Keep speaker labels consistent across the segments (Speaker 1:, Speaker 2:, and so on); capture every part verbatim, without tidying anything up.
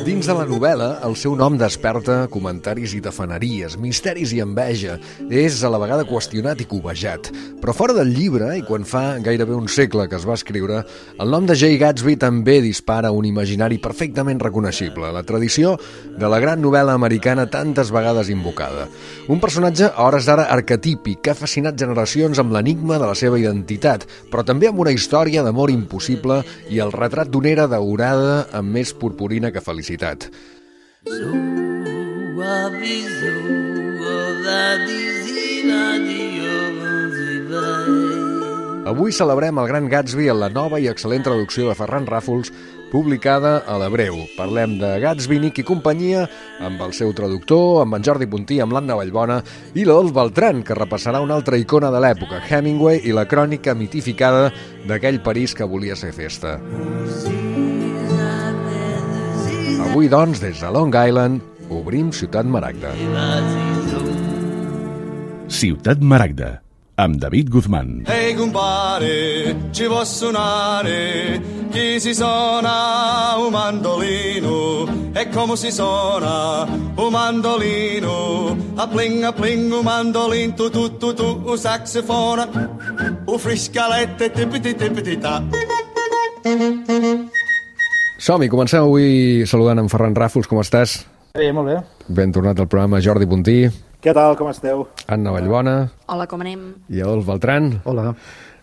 Speaker 1: Dins de la novel·la, el seu nom desperta comentaris i tafaneries, misteris i enveja. És a la vegada qüestionat i cobejat. Però fora del llibre, i quan fa gairebé un segle que es va escriure, el nom de Jay Gatsby també dispara un imaginari perfectament reconeixible, la tradició de la gran novel·la americana tantes vegades invocada. Un personatge a hores d'ara arquetípic que ha fascinat generacions amb l'enigma de la seva identitat, però també amb una història d'amor impossible i el retrat d'una era daurada amb més purpurina que felicitat. Avui celebrem el Gran Gatsby en la nova i excel·lent traducció de Ferran Ràfols, publicada a l'Hebreu. Parlem de Gatsby, Nick i companyia, amb el seu traductor, amb en Jordi Puntí, amb l'Anna Vallbona i l'Adolf Beltrán, que repassarà una altra icona de l'època, Hemingway i la crònica mitificada d'aquell París que volia ser festa. Avui, doncs, des de Long Island, obrim Ciutat Maragda.
Speaker 2: Ciutat Maragda, amb David Guzmán.
Speaker 3: Ehi compare, ci può suonare chi si suona un mandolino e come si suona un mandolino a pling a pling un mandolin tu tu tu tu un saxofona un friscalette tipiti tipiti ta.
Speaker 1: Som-hi, comencem avui saludant en Ferran Ràfols. Com estàs?
Speaker 4: Bé, molt bé.
Speaker 1: Ben tornat al programa, Jordi Puntí.
Speaker 4: Què tal, com esteu?
Speaker 1: Anna Vallbona.
Speaker 5: Hola, com anem?
Speaker 1: I Adolf Beltrán.
Speaker 4: Hola.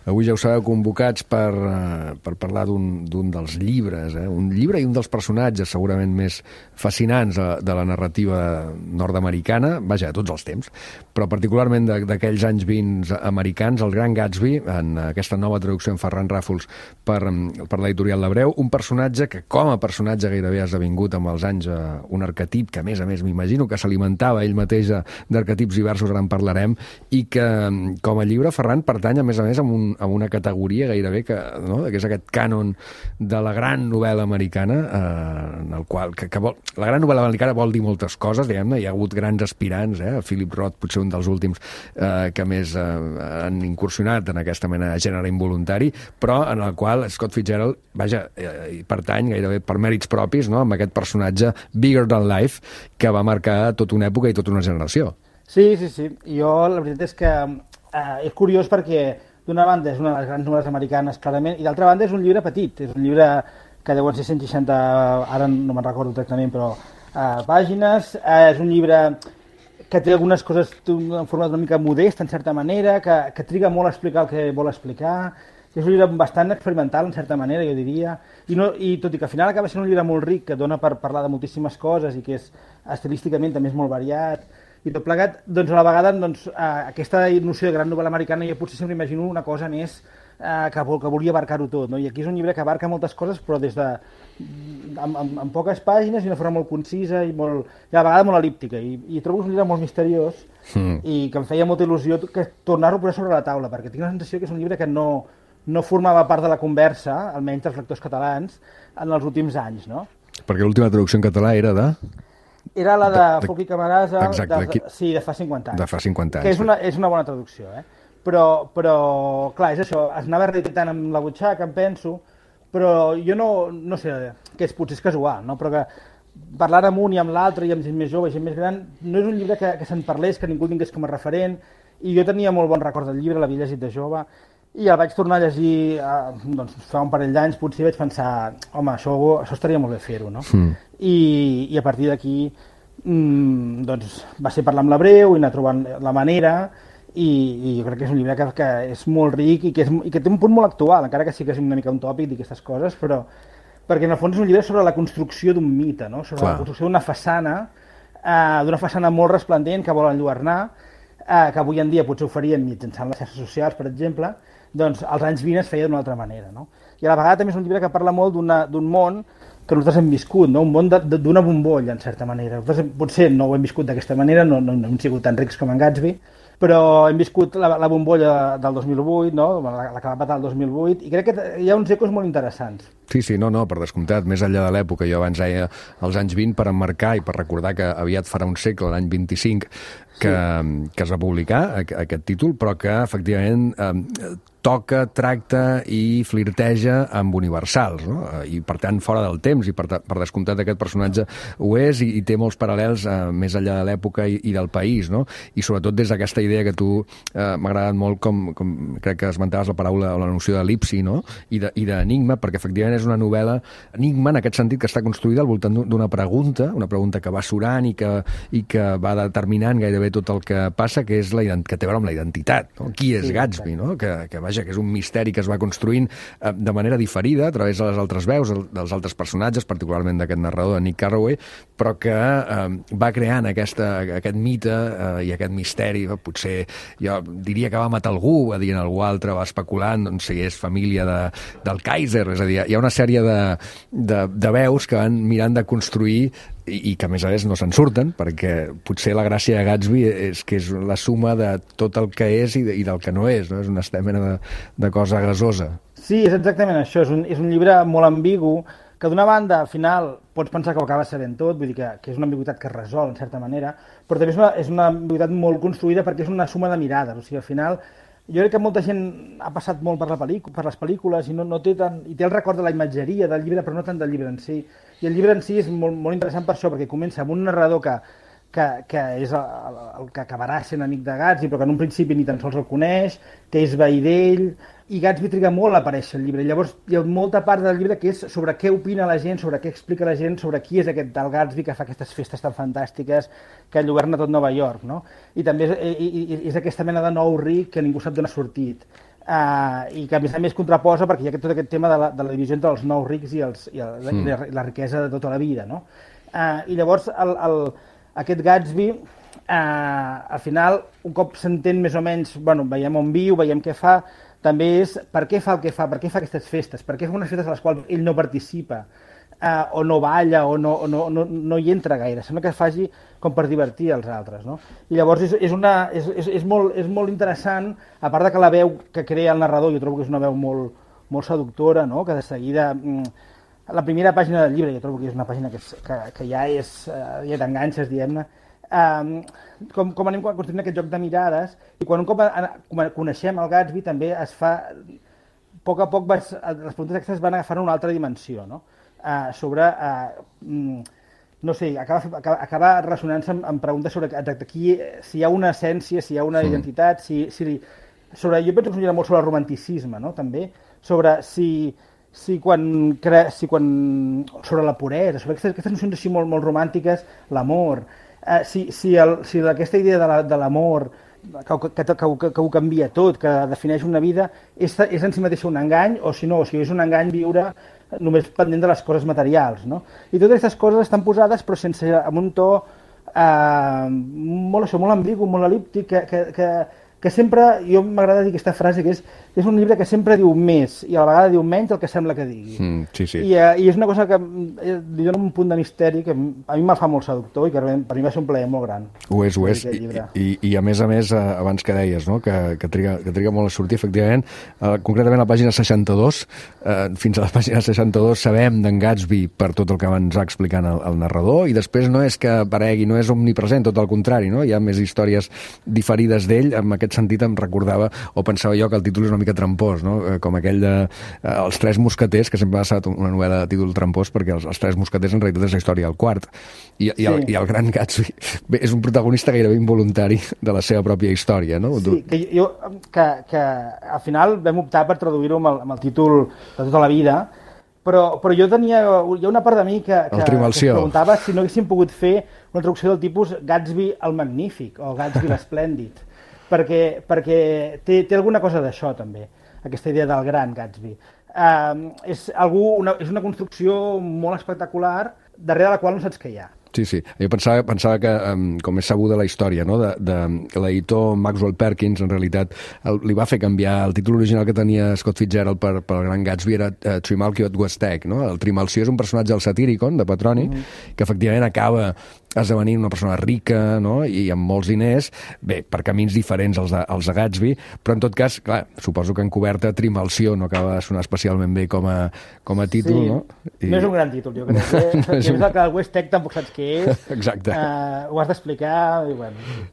Speaker 1: Avui ja ho sabeu, convocats per, uh, per parlar d'un dels llibres, eh? Un llibre i un dels personatges segurament més fascinants de, de la narrativa nord-americana, vaja, de tots els temps, però particularment d'aquells anys vint americans, el Gran Gatsby, en aquesta nova traducció en Ferran Ràfols per, per l'editorial L'Hebreu, un personatge que com a personatge gairebé ha esdevingut amb els anys uh, un arquetip que a més a més m'imagino que s'alimentava ell mateix d'arquetips diversos, ara en parlarem, i que com a llibre, Ferran, pertany a més a més amb un amb una categoria gairebé que, no? que és aquest cànon de la gran novel·la americana, eh, en el qual, que, que vol, la gran novel·la americana vol dir moltes coses, diguem-ne, hi ha hagut grans aspirants, eh? Philip Roth, potser un dels últims eh, que més eh, han incursionat en aquesta mena de gènere involuntari, però en el qual Scott Fitzgerald, vaja, eh, pertany gairebé per mèrits propis, no? Amb aquest personatge bigger than life que va marcar tota una època i tota una generació.
Speaker 4: Sí, sí, sí. Jo, la veritat és que eh, és curiós perquè d'una banda és una de les grans novel·les americanes, clarament, i d'altra banda és un llibre petit, és un llibre que deuen ser cent seixanta, ara no me'n recordo exactament, però eh, pàgines, eh, és un llibre que té algunes coses en format una mica modest, en certa manera, que, que triga molt a explicar el que vol explicar, és un llibre bastant experimental, en certa manera, jo diria, i, no, i tot i que al final acaba sent un llibre molt ric, que dona per parlar de moltíssimes coses i que és estilísticament també és molt variat, i tot plegat, doncs a la vegada doncs, eh, aquesta noció de gran novel·la americana jo potser sempre imagino una cosa més eh, que, que volia abarcar-ho tot, no? I aquí és un llibre que abarca moltes coses però des de amb, amb, amb poques pàgines i d'una forma molt concisa i, molt, i a la vegada molt elíptica i, i trobo un llibre molt misteriós mm. i que em feia molta il·lusió que tornar-ho a posar sobre la taula perquè tinc la sensació que és un llibre que no, no formava part de la conversa, almenys dels lectors catalans, en els últims anys, no?
Speaker 1: Perquè l'última traducció en català era de...
Speaker 4: Era la de, de Foc i Camarasa,
Speaker 1: exacte,
Speaker 4: de, de, sí, de fa cinquanta anys.
Speaker 1: De fa cinquanta anys.
Speaker 4: Que és una, és una bona traducció, eh? Però, però, clar, és això, es anava reeditant amb la butxaca, em penso, però jo no, no sé, que és, potser és casual, no? Però que parlar amb un i amb l'altre i amb gent més jove i gent més gran no és un llibre que, que se'n parlés, que ningú tingués com a referent, i jo tenia molt bon record del llibre, l'havia llegit de jove, i el vaig tornar a llegir eh, doncs, fa un parell d'anys, potser vaig pensar, home, això, això estaria molt bé fer-ho, no? Mm. I, I a partir d'aquí mmm, doncs, va ser parlar amb l'Hebreu i anar trobant la manera i, i jo crec que és un llibre que, que és molt ric i que, és, i que té un punt molt actual, encara que sí que és una mica un tòpic d'aquestes coses, però perquè en el fons és un llibre sobre la construcció d'un mite, no? Sobre Clar. La construcció d'una façana, eh, d'una façana molt resplendent que vol enlluernar, eh, que avui en dia potser ho faríem mitjançant les xarxes socials, per exemple, doncs als anys vint es feia d'una altra manera, no? I a la vegada també és un llibre que parla molt d'un món que nosaltres hem viscut, no? Un món d'una bombolla, en certa manera. Nosaltres potser no ho hem viscut d'aquesta manera, no, no, no hem sigut tan rics com en Gatsby, però hem viscut la, la bombolla del dos mil vuit, no? la, la que va patar el dos mil vuit, i crec que hi ha uns ecos molt interessants.
Speaker 1: Sí, sí, no, no, per descomptat, més enllà de l'època, jo abans deia els anys vint per emmarcar i per recordar que aviat farà un segle, l'any vint-i-cinc, que, sí. que es va publicar aquest títol, però que efectivament eh, toca, tracta i flirteja amb universals, no? I per tant fora del temps, i per, per descomptat aquest personatge ho és, i, i té molts paral·lels eh, més enllà de l'època i, i del país, no? I sobretot des d'aquesta idea que tu eh, m'ha agradat molt, com, com crec que esmentaves la paraula o la noció d'elipsi, no? I d'enigma, perquè efectivament és una novel·la enigma en aquest sentit, que està construïda al voltant d'una pregunta, una pregunta que va surant i que, i que va determinant gairebé tot el que passa, que és la, que té a veure amb la identitat, no? Qui és sí, Gatsby, no? Que, que vaja, que és un misteri que es va construint eh, de manera diferida a través de les altres veus, dels altres personatges, particularment d'aquest narrador, de Nick Carraway, però que eh, va creant aquesta, aquest mite eh, i aquest misteri. Potser jo diria que va matar algú, va dir algú altre, va especulant doncs, si és família de, del Kaiser, és a dir, hi ha una sèrie de, de, de veus que van mirant de construir i, i que a més a més no se'n surten, perquè potser la gràcia de Gatsby és que és la suma de tot el que és i, de, i del que no és, no? És una mena de, de cosa gasosa.
Speaker 4: Sí, és exactament això, és un, és un llibre molt ambigu, que d'una banda, al final, pots pensar que ho acaba sabent tot, vull dir que, que és una ambigüitat que es resol, en certa manera, però també és una, és una ambigüitat molt construïda perquè és una suma de mirades, o sigui, al final, jo crec que molta gent ha passat molt per, la pel·lícula, per les pel·lícules i no, no té tant, i té el record de la imatgeria del llibre, però no tant del llibre en si. I el llibre en si és molt, molt interessant per això, perquè comença amb un narrador que, que, que és el, el que acabarà sent amic de Gatsby, però que en un principi ni tan sols el coneix, que és veí d'ell, i Gatsby triga molt a aparèixer al llibre. Llavors hi ha molta part del llibre que és sobre què opina la gent, sobre què explica la gent, sobre qui és aquest tal Gatsby que fa aquestes festes tan fantàstiques que enlluerna tot Nova York, no? I també és, i, i, és aquesta mena de nou ric que ningú sap d'on ha sortit. Uh, i que a més a més contraposa perquè hi ha tot aquest tema de la, de la divisió entre els nous rics i, els, i, el, mm. i la, la riquesa de tota la vida, no? Uh, I llavors el, el, aquest Gatsby, uh, al final, un cop s'entén més o menys, bueno, veiem on viu, veiem què fa, també és per què fa el que fa, per què fa aquestes festes, per què fa unes festes a les quals ell no participa, eh, o no balla, o no, o no, no, no hi entra gaire, sembla que es faci com per divertir els altres, no? I llavors és, és, una, és, és, és, molt, és molt interessant, a part de que la veu que crea el narrador, jo trobo que és una veu molt, molt seductora, no? Que de seguida, la primera pàgina del llibre, jo trobo que és una pàgina que, és, que, que ja és, ja t'enganxes, diguem-ne, Um, com, com anem construint aquest joc de mirades, i quan un cop a, a, coneixem el Gatsby també es fa, a poc a poc vas, les preguntes aquestes van agafar una altra dimensió, no? Uh, sobre uh, no sé, acaba, acaba, acaba relacionant-se amb, amb preguntes sobre exacte, qui, si hi ha una essència, si hi ha una sí. identitat, si, si, sobre, jo penso que és un llibre molt sobre el romanticisme, no? També, sobre si si quan, cre, si quan sobre la puresa, sobre aquestes, aquestes nocions així molt, molt romàntiques, l'amor. Uh, si, si, el, si aquesta idea de l'amor la, que, que, que, que, que ho canvia tot, que defineix una vida, és, és en si mateixa un engany, o si no, o si és un engany viure només pendent de les coses materials, no? I totes aquestes coses estan posades però sense, amb un to eh, molt, això, molt ambigu, molt elíptic, que, que, que, que sempre, jo m'agrada dir aquesta frase, que és, és un llibre que sempre diu més i a la vegada diu menys del que sembla que digui.
Speaker 1: Mm, sí, sí.
Speaker 4: I, uh, I és una cosa que li dona un punt de misteri que a mi me'l fa molt seductor i que per mi va ser un plaer molt gran.
Speaker 1: Ho és, ho és. I, i, I a més a més, abans que deies, no? que, que, triga, que triga molt a sortir, efectivament, uh, concretament a la pàgina seixanta-dos, uh, fins a la pàgina seixanta-dos sabem d'en Gatsby per tot el que ens va explicant el, el narrador, i després no és que aparegui, no és omnipresent, tot el contrari, no? Hi ha més històries diferides d'ell. En aquest sentit em recordava, o pensava jo, que el títol és una mica trampós, no? Com aquell de eh, Els Tres Mosqueters, que sempre ha estat una novel·la de títol trampós, perquè els, els Tres Mosqueters en realitat és la història del quart. I, sí. i, el, i el gran Gatsby bé, és un protagonista gairebé involuntari de la seva pròpia història, no?
Speaker 4: Sí, que jo, que, que al final vam optar per traduir-ho amb, el, amb el títol de tota la vida, però, però jo tenia, hi ha una part de mi que, que, que es preguntava si no haguéssim pogut fer una traducció del tipus Gatsby el Magnífic o Gatsby l'Esplèndid, perquè, perquè té, té alguna cosa d'això també, aquesta idea del gran Gatsby. Uh, és, algú, una, és una construcció molt espectacular darrere la qual no saps què hi ha.
Speaker 1: Sí, sí. Jo pensava, pensava que, um, com és sabuda la història, no? de, de l'editor Maxwell Perkins, en realitat, el, li va fer canviar el títol original que tenia Scott Fitzgerald per, per el gran Gatsby, era uh, Trimalchio at Westech, no? El Trimalció és un personatge del Satyricon, de Petroni, mm. que efectivament acaba esdevenint una persona rica, no? I amb molts diners, bé, per camins diferents als de, als de Gatsby, però en tot cas, clar, suposo que en coberta Trimalció no acaba de sonar especialment bé com a, com a títol,
Speaker 4: sí.
Speaker 1: no?
Speaker 4: I... No és un gran títol, jo crec. Eh? No és un... el que el Westech tampoc saps què és.
Speaker 1: Exacte.
Speaker 4: Uh, ho has d'explicar i bueno...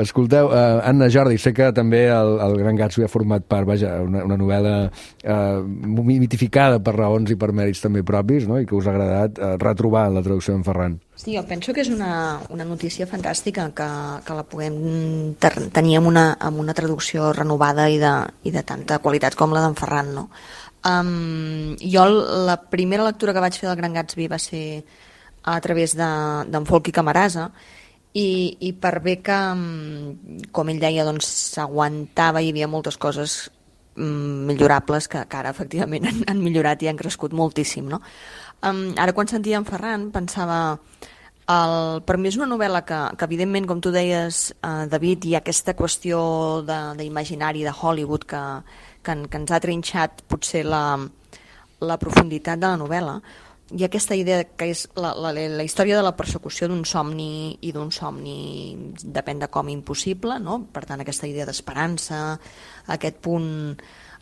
Speaker 1: Escolteu, uh, Anna, Jordi, sé que també el, el Gran Gatsby ha format part, vaja, una, una novel·la uh, mitificada per raons i per mèrits també propis, no? I que us ha agradat uh, retrobar en la traducció d'en Ferran.
Speaker 5: Sí, jo penso que és una, una notícia fantàstica que, que la puguem ter tenir amb una, amb una traducció renovada i de, i de tanta qualitat com la d'en Ferran, no? Um, jo la primera lectura que vaig fer del Gran Gatsby va ser a través d'en de, Folchi Camarasa, i, i per bé que, com ell deia, doncs s'aguantava, hi havia moltes coses mm, millorables que, que ara efectivament han, han millorat i han crescut moltíssim, no? Um, ara quan sentia en Ferran pensava, el, per mi és una novel·la que, que evidentment, com tu deies, uh, David, hi ha aquesta qüestió d'imaginari de, de Hollywood que, que, que ens ha trinxat potser la, la profunditat de la novel·la. Hi ha aquesta idea que és la, la, la història de la persecució d'un somni, i d'un somni depèn de com impossible, no? Per tant, aquesta idea d'esperança, aquest punt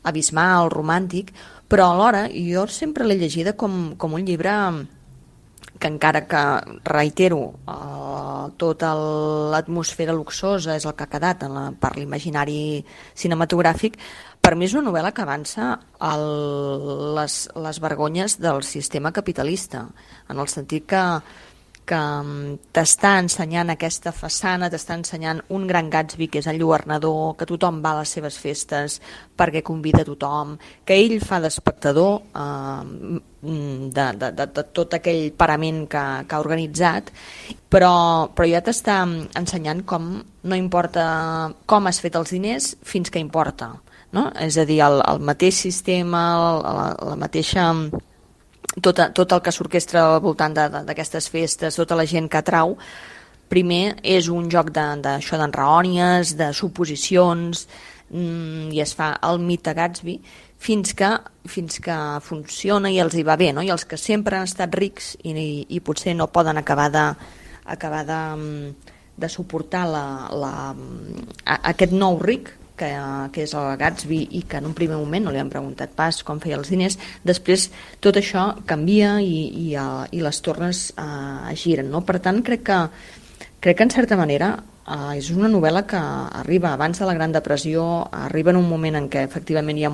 Speaker 5: abismal, romàntic, però alhora jo sempre l'he llegida com, com un llibre que, encara que, reitero, eh, tota l'atmosfera luxosa és el que ha quedat en la, per l'imaginari cinematogràfic, per mi és una novel·la que avança el, les, les vergonyes del sistema capitalista, en el sentit que, que t'està ensenyant aquesta façana, t'està ensenyant un Gran Gatsby que és enlluernador, que tothom va a les seves festes perquè convida a tothom, que ell fa d'espectador eh, de, de, de, de tot aquell parament que, que ha organitzat, però, però ja t'està ensenyant com no importa com has fet els diners fins que importa. No? És a dir, el, el mateix sistema, la, la mateixa, tot, tot el que s'orquestra al voltant d'aquestes festes, tota la gent que atrau, primer és un joc d'això, d'enraònies, de suposicions, mmm, i es fa el mite Gatsby, fins que, fins que funciona i els hi va bé, no? I els que sempre han estat rics i, i, i potser no poden acabar de, acabar de, de suportar la, la, aquest nou ric, Que, que és el Gatsby, i que en un primer moment no li han preguntat pas com feia els diners, després tot això canvia i, i, uh, i les tornes uh, es giren, no? Per tant, crec que, crec que en certa manera uh, és una novel·la que arriba abans de la Gran Depressió, arriba en un moment en què efectivament hi ha,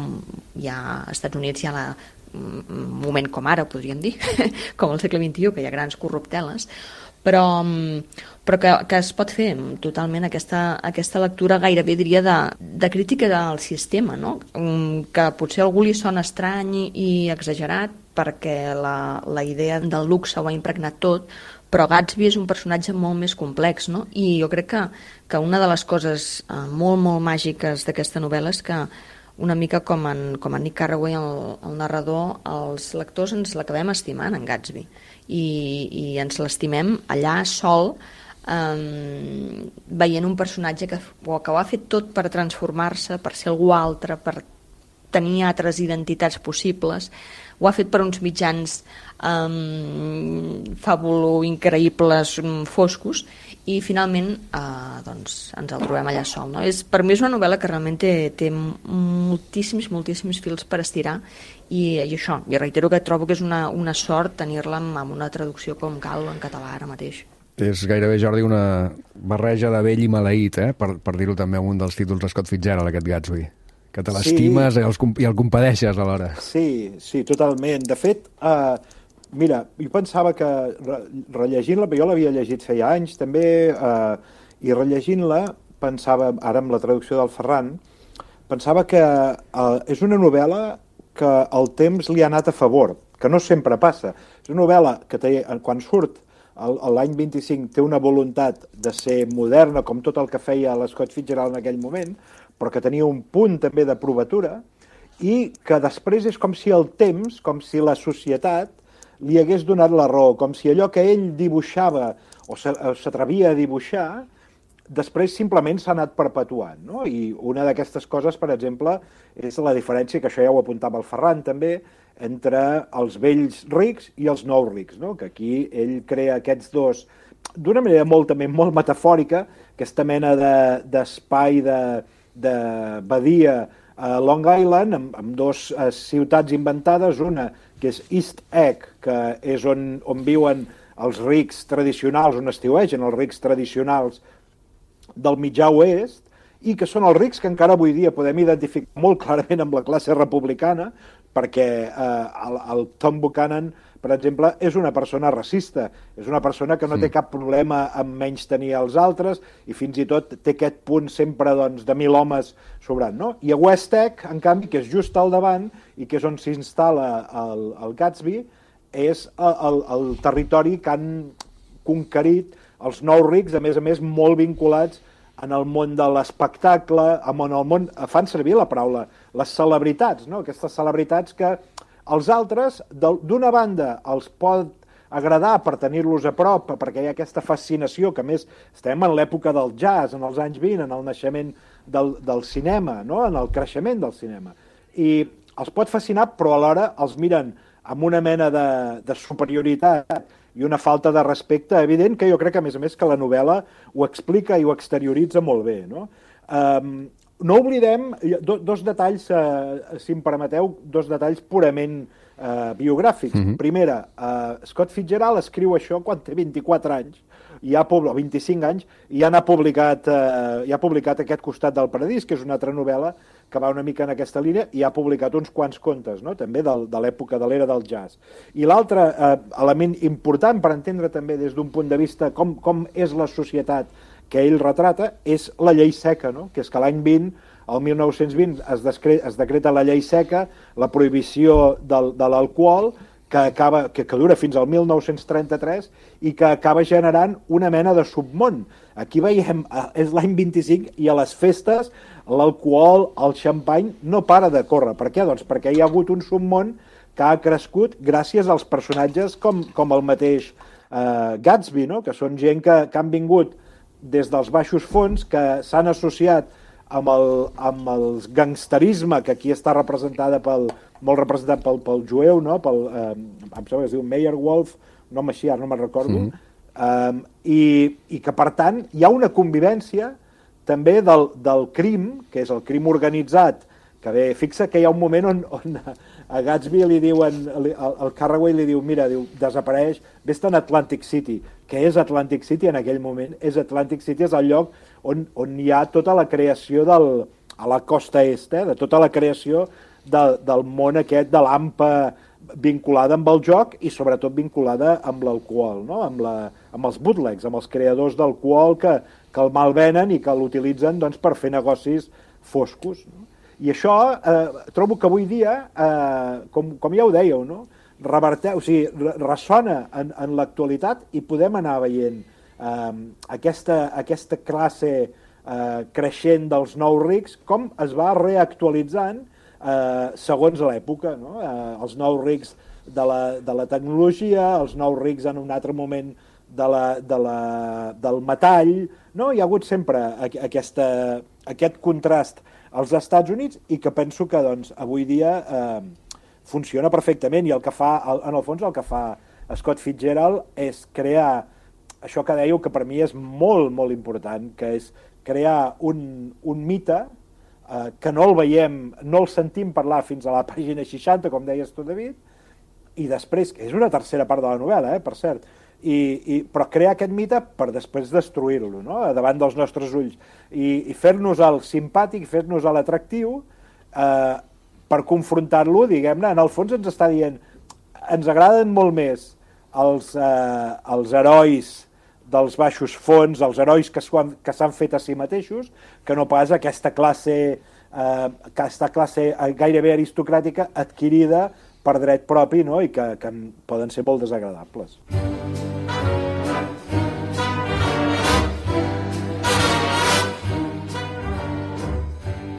Speaker 5: hi ha als Estats Units hi ha la, un moment com ara, podríem dir, com al segle vint-i-u, que hi ha grans corrupteles, però, però que, que es pot fer totalment aquesta, aquesta lectura, gairebé diria de, de crítica del sistema, no? Que potser a algú li sona estrany i exagerat perquè la, la idea del luxe ho ha impregnat tot, però Gatsby és un personatge molt més complex, no? I jo crec que, que una de les coses eh, molt, molt màgiques d'aquesta novel·la és que una mica com en, com en Nick Carraway, el, el narrador, els lectors ens l'acabem estimant en Gatsby i, i ens l'estimem allà sol, eh, veient un personatge que, que ho ha fet tot per transformar-se, per ser algú altre, per tenir altres identitats possibles, ho ha fet per uns mitjans um, fàbulo increïbles, foscos, i finalment uh, doncs, ens el trobem allà sol, no? És, per mi és una novel·la que realment té, té moltíssims, moltíssims fils per estirar, i, i això, i reitero que trobo que és una, una sort tenir-la amb, amb una traducció com cal en català ara mateix.
Speaker 1: És gairebé, Jordi, una barreja de vell i maleït, eh? per, per dir-ho també amb un dels títols de Scott Fitzgerald, aquest Gatsby. Que te l'estimes sí. i, els, i el compadeixes alhora.
Speaker 6: Sí, sí, totalment. De fet, uh, mira, jo pensava que re, rellegint-la, jo l'havia llegit feia anys també, uh, i rellegint-la pensava, ara amb la traducció del Ferran, pensava que uh, és una novel·la que el temps li ha anat a favor, que no sempre passa. És una novel·la que té, quan surt l'any vint-i-cinc té una voluntat de ser moderna, com tot el que feia l'Scott Fitzgerald en aquell moment, però que tenia un punt també de provatura, i que després és com si el temps, com si la societat li hagués donat la raó, com si allò que ell dibuixava o s'atrevia a dibuixar, després simplement s'ha anat perpetuant, no? I una d'aquestes coses, per exemple, és la diferència, que això ja ho apuntava el Ferran també, entre els vells rics i els nous rics, no? Que aquí ell crea aquests dos, d'una manera molt, també molt metafòrica, aquesta mena d'espai de, de, de badia a Long Island, amb, amb dos uh, ciutats inventades, una que és East Egg, que és on, on viuen els rics tradicionals, on estiuegen els rics tradicionals del mitjà oest, i que són els rics que encara avui dia podem identificar molt clarament amb la classe republicana, perquè eh, el, el Tom Buchanan, per exemple, és una persona racista, és una persona que no té cap problema en menystenir els altres i fins i tot té aquest punt sempre doncs, de mil homes sobrant. No? I a West Tech, en canvi, que és just al davant i que és on s'instal·la el, el Gatsby, és el, el, el territori que han conquerit els nous rics, a més a més molt vinculats en el món de l'espectacle, en el món, fan servir la paraula, les celebritats, no? Aquestes celebritats que els altres, d'una banda, els pot agradar per tenir-los a prop, perquè hi ha aquesta fascinació, que a més estem en l'època del jazz, en els anys vint, en el naixement del, del cinema, no? En el creixement del cinema. I els pot fascinar, però alhora els miren amb una mena de, de superioritat i una falta de respecte evident, que jo crec que, a més a més, que la novel·la ho explica i ho exterioritza molt bé, no? Um, no oblidem do, dos detalls, uh, si em permeteu, dos detalls purament uh, biogràfics. Mm-hmm. Primera, uh, Scott Fitzgerald escriu això quan té vint-i-quatre anys, i ha, o vint-i-cinc anys, i ja n'ha publicat, uh, ja ha publicat Aquest costat del paradís, que és una altra novel·la que va una mica en aquesta línia, i ha publicat uns quants contes, no? També de, de l'època de l'era del jazz. I l'altre uh, element important per entendre també des d'un punt de vista com, com és la societat que ell retrata, és la llei seca, no? Que és que l'any vint, el mil nou-cents vint, es, descre es decreta la llei seca, la prohibició del, de l'alcohol, que, acaba, que, que dura fins al mil nou-cents trenta-tres i que acaba generant una mena de submón. Aquí veiem, és l'any vint-i-cinc i a les festes l'alcohol, el xampany, no para de córrer. Per què? Doncs perquè hi ha hagut un submón que ha crescut gràcies als personatges com, com el mateix eh, Gatsby, no? Que són gent que, que han vingut des dels baixos fons, que s'han associat amb el, amb el gangsterisme, que aquí està representada pel, molt representat pel, pel jueu, no? Pel, eh, em sembla que es diu Meyerwolf, un home així, ara no me'n recordo, mm. eh, i, i que, per tant, hi ha una convivència també del, del crim, que és el crim organitzat, que bé, fixa que hi ha un moment on, on a Gatsby li diuen, el, el Carraway li diu, mira, diu, desapareix, vés-te'n a Atlantic City. Què és Atlantic City en aquell moment? És Atlantic City és el lloc on, on hi ha tota la creació del, a la costa est, eh, de tota la creació de, del món aquest de l'A M P A vinculada amb el joc i sobretot vinculada amb l'alcohol, no? amb, la, amb els bootlegs, amb els creadors d'alcohol que, que el malvenen i que l'utilitzen doncs, per fer negocis foscos. No? I això eh, trobo que avui dia, eh, com, com ja ho dèieu, no? Reverteu, o sigui, ressona en, en l'actualitat i podem anar veient eh, aquesta, aquesta classe eh, creixent dels nous rics, com es va reactualitzant eh, segons l'època, no? Eh, els nous rics de la, de la tecnologia, els nous rics en un altre moment de la, de la, del metall, no? Hi ha hagut sempre aquesta, aquest contrast als Estats Units i que penso que doncs, avui dia eh, funciona perfectament i el que fa, en el fons el que fa Scott Fitzgerald és crear això que dèieu que per mi és molt, molt important, que és crear un, un mite eh, que no el veiem, no el sentim parlar fins a la pàgina seixanta, com deies tu, David, i després, que és una tercera part de la novel·la, eh, per cert, I, i, però crear aquest mite per després destruir-lo, no? Davant dels nostres ulls i, i fer-nos el simpàtic, fer-nos l'atractiu eh, per confrontar-lo, diguem-ne, en el fons ens està dient ens agraden molt més els, eh, els herois dels baixos fons, els herois que s'han fet a si mateixos, que no pas aquesta classe, eh, aquesta classe gairebé aristocràtica adquirida per dret propi, no? I que, que poden ser molt desagradables.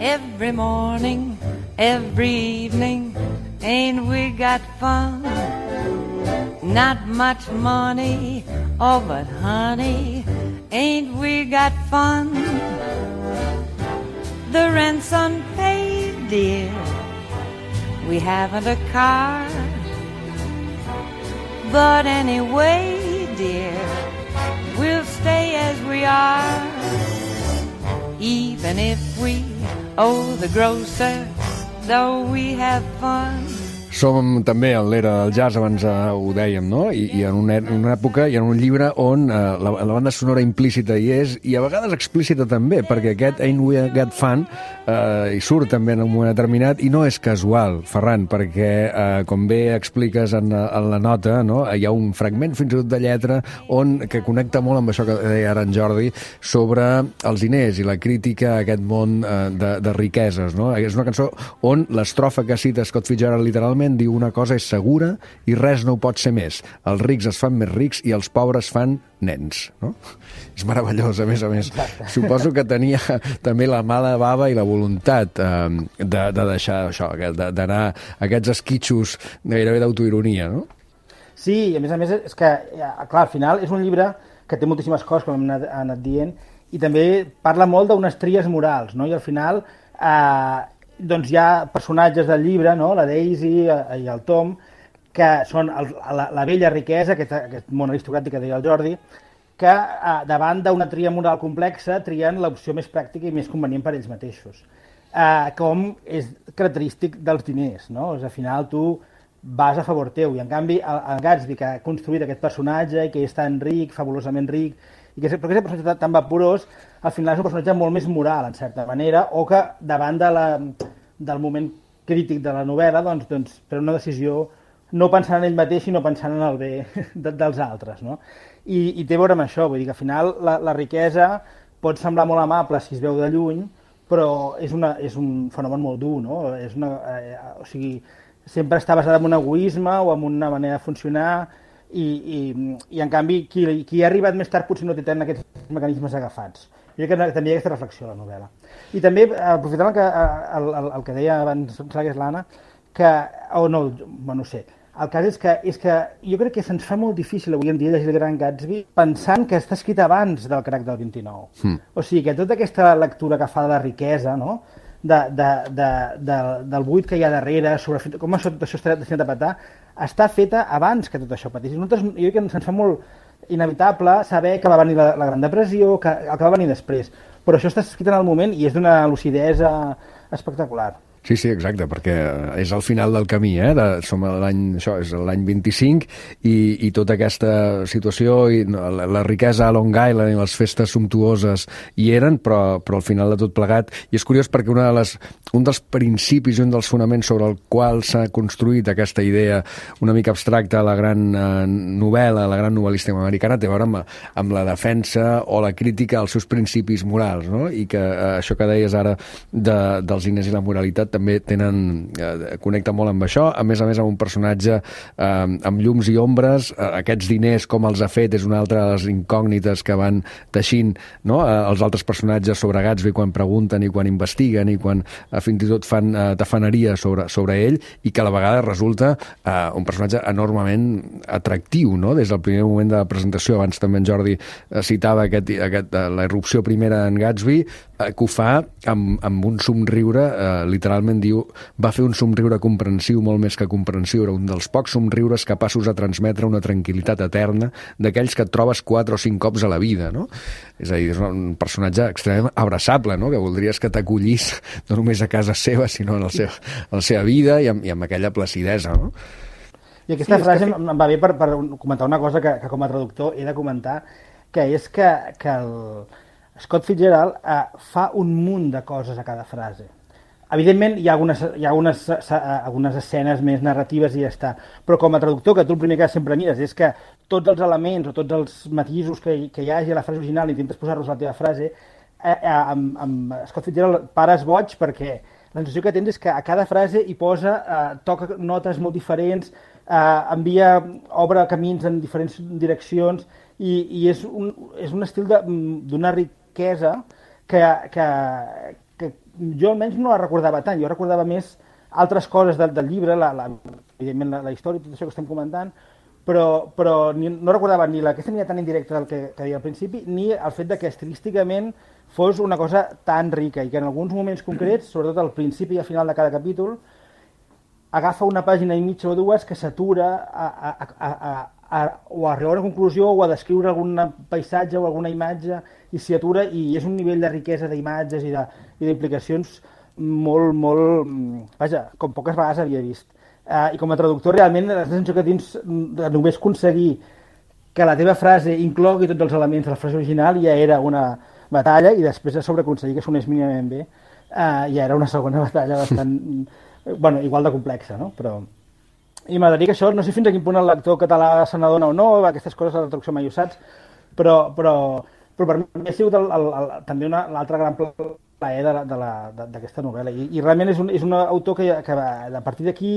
Speaker 7: Every morning, every evening, ain't we got fun? Not much money, oh but honey, ain't we got fun? The rent's unpaid, dear, we haven't a car, but anyway, dear, we'll stay as we are. Even if we owe the grocer, though we have fun.
Speaker 1: som també en l'era del jazz, abans eh, ho dèiem, no? I, i en, una, en una època i en un llibre on eh, la, la banda sonora implícita hi és, i a vegades explícita també, perquè aquest Ain't We Got Fun eh, hi surt també en un moment determinat, i no és casual, Ferran, perquè, eh, com bé expliques en, en la nota, no? Hi ha un fragment fins i tot de lletra on, que connecta molt amb això que deia ara en Jordi, sobre els diners i la crítica a aquest món eh, de, de riqueses, no? És una cançó on l'estrofa que cita Scott Fitzgerald literalment diu: una cosa és segura i res no ho pot ser més. Els rics es fan més rics i els pobres fan nens, no? És meravellós, a més a més. Exacte. Suposo que tenia també la mala bava i la voluntat eh, de, de deixar això, d'anar a aquests esquitxos gairebé d'autoironia, no?
Speaker 4: Sí, i a més a més és que, clar, al final és un llibre que té moltíssimes coses, com hem anat, anat dient, i també parla molt d'unes tries morals, no? I al final eh, doncs hi ha personatges del llibre, no? La Daisy i el Tom, que són el, la, la vella riquesa, aquest, aquest món aristocràtic que deia el Jordi, que eh, davant d'una tria moral complexa trien l'opció més pràctica i més convenient per ells mateixos. Eh, com és característic dels diners, no? És, al final tu vas a favor teu, i en canvi el, el Gatsby, que ha construït aquest personatge i que és tan ric, fabulosament ric, i que és, però que és un personatge tan vaporós, al final és un personatge molt més moral, en certa manera, o que davant de la, del moment crític de la novel·la, doncs, doncs pren una decisió no pensant en ell mateix, sinó pensant en el bé de, dels altres, no? I, i té a veure amb això, vull dir que al final la, la riquesa pot semblar molt amable si es veu de lluny, però és, una, és un fenomen molt dur, no? És una, eh, o sigui, sempre està basada en un egoisme o en una manera de funcionar, i, i, i en canvi qui, qui ha arribat més tard potser no té tant aquests mecanismes agafats. Jo crec que també hi ha aquesta reflexió a la novel·la. I també, aprofitant el que, el, el, el que deia abans l'Anna, que, o oh no, bueno, no sé, el cas és que, és que jo crec que se'ns fa molt difícil avui en dia llegir el Gran Gatsby pensant que està escrit abans del crac del vint-i-nou. Mm. O sigui, que tota aquesta lectura que fa de la riquesa, no? de, de, de, de, del buit que hi ha darrere, sobre com això, tot això està destinat a petar, està feta abans que tot això patís. Nosaltres, jo crec que se'ns fa molt inevitable saber que va venir la, la Gran Depressió, que, el que va venir després. Però això està escrit en el moment i és d'una lucidesa espectacular.
Speaker 1: Sí, sí, exacte, perquè és al final del camí, eh? De, som a l'any, això és l'any vint-i-cinc, i, i tota aquesta situació, i la, la riquesa a Long Island i les festes sumptuoses hi eren, però, però al final de tot plegat. I és curiós perquè una de les, un dels principis i un dels fonaments sobre el qual s'ha construït aquesta idea una mica abstracta a la gran eh, novel·la, a la gran novel·lística americana, té a veure amb, amb la defensa o la crítica als seus principis morals, no? I que eh, això que deies ara de, dels diners i la moralitat també tenen, eh, connecta molt amb això, a més a més amb un personatge eh, amb llums i ombres, eh, aquests diners com els ha fet és una altra de les incògnites que van teixint, no? eh, els altres personatges sobre Gatsby quan pregunten i quan investiguen i quan eh, fins i tot fan eh, tafaneria sobre, sobre ell, i que a la vegada resulta eh, un personatge enormement atractiu, no? Des del primer moment de la presentació. Abans també en Jordi eh, citava aquest, aquest, eh, la irrupció primera en Gatsby, eh, que ho fa amb, amb un somriure eh, literalment diu, va fer un somriure comprensiu molt més que comprensiu, era un dels pocs somriures capaços de transmetre una tranquil·litat eterna d'aquells que et trobes quatre o cinc cops a la vida, no? És a dir, és un personatge extremament abraçable, no? Que voldries que t'acollís no només a casa seva, sinó en la seva, en la seva vida i amb, i amb aquella placidesa, no?
Speaker 4: I aquesta sí, frase que... em va bé per, per comentar una cosa que, que com a traductor he de comentar, que és que, que el Scott Fitzgerald eh, fa un munt de coses a cada frase. Evidentment, hi ha, algunes, hi ha algunes, algunes escenes més narratives i ja està. Però com a traductor, que tu el primer que sempre mires és que tots els elements o tots els matisos que, que hi hagi a la frase original intentes posar-los a la teva frase, eh, eh, amb, amb Scott Fitzgerald pares boig, perquè la sensació que tens és que a cada frase hi posa, eh, toca notes molt diferents, eh, envia, obre camins en diferents direccions, i, i és, un, és un estil d'una riquesa que... que que jo almenys no la recordava tant, jo recordava més altres coses del, del llibre, la, la, evidentment la, la història i tot això que estem comentant, però, però ni, no recordava ni aquesta línia tan indirecta del que, que deia al principi, ni el fet de que estilísticament fos una cosa tan rica, i que en alguns moments concrets, sobretot al principi i al final de cada capítol, agafa una pàgina i mitja o dues que s'atura a, a, a, a, a, o a arribar a una conclusió o a descriure algun paisatge o alguna imatge, i s'hi atura, i és un nivell de riquesa d'imatges i d'implicacions molt, molt... Vaja, com poques vegades havia vist. Uh, I com a traductor, realment, la sensació que tens de només aconseguir que la teva frase inclogui tots els elements de la frase original ja era una batalla, i després de sobre aconseguir que sonés mínimament bé uh, ja era una segona batalla bastant, bueno, igual de complexa, no? Però... I m'agradaria que això, no sé fins a quin punt el lector català se n'adona o no, aquestes coses de la traducció mai ho saps, però, però, però per mi ha sigut el, el, el, també l'altre gran plaer d'aquesta novel·la. I, i realment és un, és un autor que, que a partir d'aquí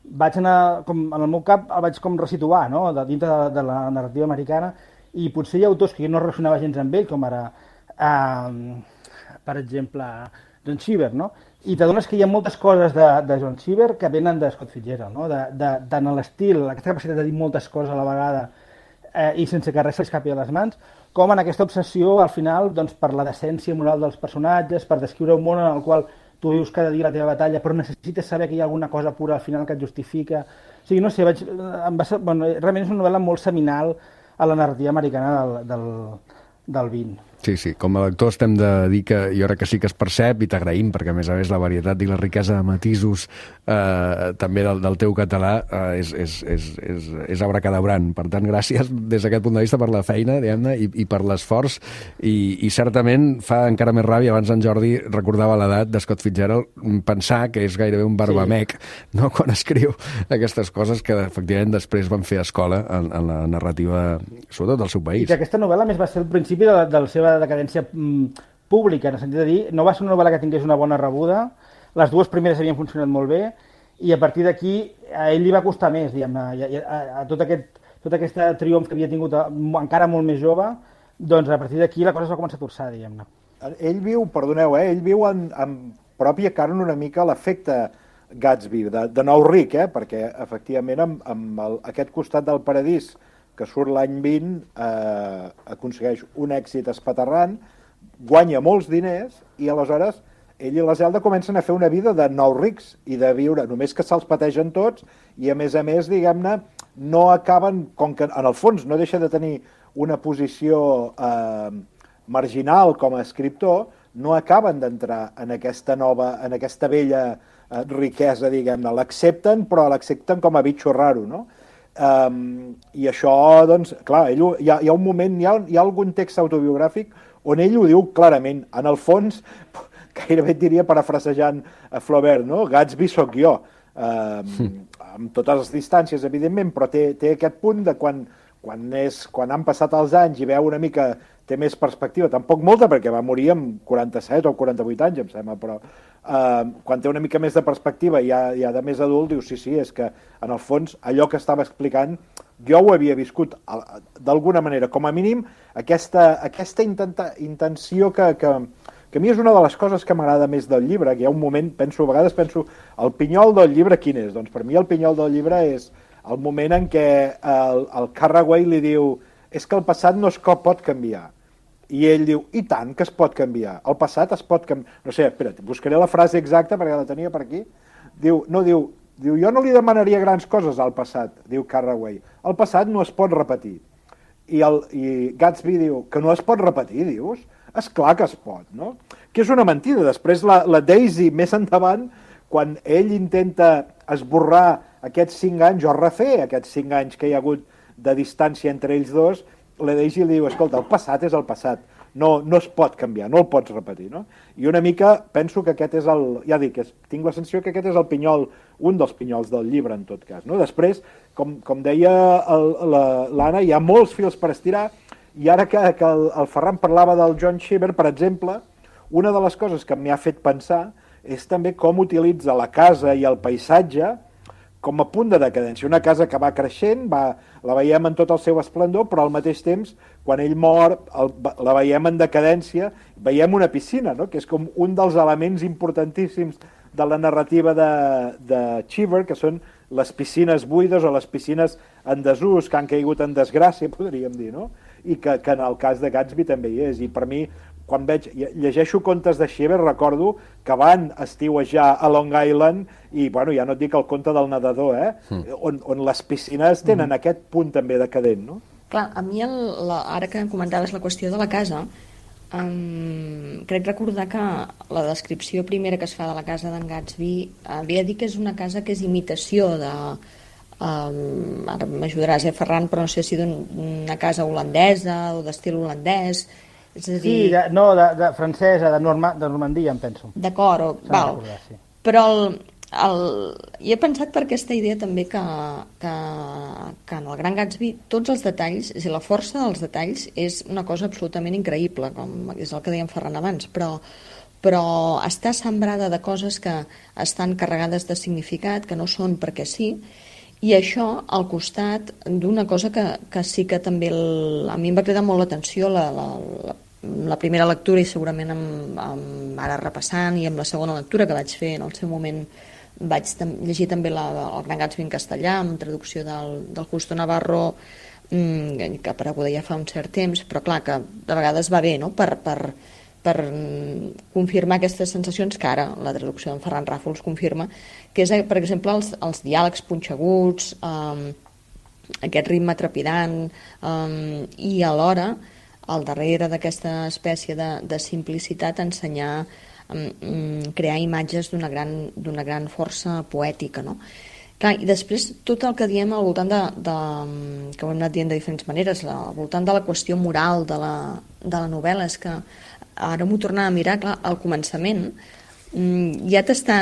Speaker 4: vaig anar, com, en el meu cap el vaig com resituar, no?, de, dintre de, de la narrativa americana, i potser hi ha autors que jo no relacionava gens amb ell, com ara, eh, per exemple, John Cheever, no? I t'adones que hi ha moltes coses de, de John Cheever que venen de Scott Fitzgerald, no? De, de, tant a l'estil, aquesta capacitat de dir moltes coses a la vegada eh, i sense que res s'escapi de les mans, com en aquesta obsessió, al final, doncs, per la decència moral dels personatges, per descriure un món en el qual tu vius cada dia la teva batalla, però necessites saber que hi ha alguna cosa pura al final que et justifica. O sigui, no sé, vaig, em va ser, bueno, realment és una novel·la molt seminal a la narrativa americana del, del, del vint.
Speaker 1: Sí, sí, com a lector estem de dir que jo crec que sí que es percep, i t'agraïm, perquè a més a més la varietat i la riquesa de matisos eh, també del, del teu català eh, és, és, és, és, és abracadabrant. Per tant, gràcies des d'aquest punt de vista per la feina, diguem-ne, i, i per l'esforç, i, i certament fa encara més ràbia. Abans en Jordi recordava l'edat de Scott Fitzgerald, pensar que és gairebé un barbamec, sí, no?, quan escriu aquestes coses que efectivament després van fer escola en, en la narrativa, sobretot del seu país.
Speaker 4: I que aquesta novel·la més va ser el principi de la, de la seva decadència mm, pública, en el sentit de dir, no va ser una novel·la que tingués una bona rebuda, les dues primeres havien funcionat molt bé, i a partir d'aquí a ell li va costar més, diguem-ne, a, a, a tot aquest, tot aquest triomf que havia tingut a, encara molt més jove, doncs a partir d'aquí la cosa es va començar a torçar, diguem-ne.
Speaker 6: Ell viu, perdoneu, eh, ell viu en, en pròpia carn una mica l'efecte Gatsby, de, de nou ric, eh, perquè efectivament amb, amb el, aquest costat del paradís que surt l'any vint, eh, aconsegueix un èxit espaterrant, guanya molts diners, i aleshores ell i la Zelda comencen a fer una vida de nous rics i de viure, només que se'ls pategen tots, i a més a més, diguem-ne, no acaben, com que en el fons no deixa de tenir una posició eh, marginal com a escriptor, no acaben d'entrar en aquesta nova, en aquesta vella eh, riquesa, diguem-ne. L'accepten, però l'accepten com a bitxo raro, no? Um, i això, doncs, clar, ell, hi, ha, hi ha un moment, hi ha, hi ha algun text autobiogràfic on ell ho diu clarament, en el fons, gairebé et diria parafrasejant a Flaubert, no? Gatsby sóc jo, um, amb totes les distàncies, evidentment, però té, té aquest punt de quan, quan, és, quan han passat els anys i veu una mica, té més perspectiva, tampoc molta, perquè va morir amb quaranta-set o quaranta-vuit anys, em sembla, però uh, quan té una mica més de perspectiva i ja, ja de més adult, diu, sí, sí, és que en el fons allò que estava explicant jo ho havia viscut d'alguna manera, com a mínim aquesta, aquesta intenta, intenció que, que, que a mi és una de les coses que m'agrada més del llibre, que hi ha un moment, penso, a vegades penso, el pinyol del llibre quin és? Doncs per mi el pinyol del llibre és el moment en què el, el Carraway li diu és que el passat no es pot canviar. I ell diu, i tant que es pot canviar. El passat es pot canviar. No sé, espera't, buscaré la frase exacta perquè la tenia per aquí. Diu, no, diu, diu, jo no li demanaria grans coses al passat, diu Carraway. El passat no es pot repetir. I, el, i Gatsby diu, que no es pot repetir, dius? És clar que es pot, no? Que és una mentida. Després la, la Daisy, més endavant, quan ell intenta esborrar aquests cinc anys, o refer aquests cinc anys que hi ha hagut de distància entre ells dos, la Daisy li diu, escolta, el passat és el passat, no, no es pot canviar, no el pots repetir, no? I una mica penso que aquest és el, ja dic, és, tinc la sensació que aquest és el pinyol, un dels pinyols del llibre, en tot cas, no? Després, com, com deia l'Anna, hi ha molts fils per estirar, i ara que, que el, el Ferran parlava del John Cheever, per exemple, una de les coses que m'hi ha fet pensar és també com utilitza la casa i el paisatge com a punt de decadència. Una casa que va creixent, va, la veiem en tot el seu esplendor, però al mateix temps, quan ell mor, el, la veiem en decadència, veiem una piscina, no? Que és com un dels elements importantíssims de la narrativa de, de Cheever, que són les piscines buides o les piscines en desús, que han caigut en desgràcia, podríem dir, no? I que, que en el cas de Gatsby també hi és. I per mi, quan veig, llegeixo contes de Cheever, recordo que van estiuejar a Long Island i, bueno, ja no et dic el conte del nedador, eh? Mm. On, on les piscines tenen mm. aquest punt també decadent, no?
Speaker 5: Clar, a mi, el, la, ara que comentaves la qüestió de la casa, Um, crec recordar que la descripció primera que es fa de la casa d'en Gatsby havia dit que és una casa que és imitació de... Um, ara m'ajudaràs, eh, Ferran, però no sé si d'una casa holandesa o d'estil holandès. És a dir...
Speaker 4: Sí, de, no, de, de francesa, de, Norma, de Normandia, em penso.
Speaker 5: D'acord, o... val.
Speaker 4: Recordar, sí.
Speaker 5: Però el, el... hi he pensat per aquesta idea també que, que, que en el Gran Gatsby tots els detalls, és a dir, la força dels detalls és una cosa absolutament increïble, com és el que deia en Ferran abans, però, però està sembrada de coses que estan carregades de significat, que no són perquè sí, i això al costat d'una cosa que, que sí que també el, a mi em va cridar molt l'atenció la, la, la, la primera lectura i segurament amb, amb, ara repassant i amb la segona lectura que vaig fer en el seu moment vaig tam llegir també la, el Gran Gatsby en castellà amb traducció del, del Justo Navarro mmm, que apareguda ja fa un cert temps, però clar que de vegades va bé, no?, per, per, per confirmar aquestes sensacions que ara la traducció d'en Ferran Ràfols confirma, que és, per exemple, els, els diàlegs punxeguts, um, aquest ritme trepidant, um, i alhora, al darrere d'aquesta espècie de, de simplicitat, ensenyar, um, crear imatges d'una gran, d'una gran força poètica, no? Clar, i després tot el que diem al voltant de, de que ho hem anat dient de diferents maneres, al voltant de la qüestió moral de la, de la novel·la, és que ara m'ho tornava a mirar, clar, al començament ja t'està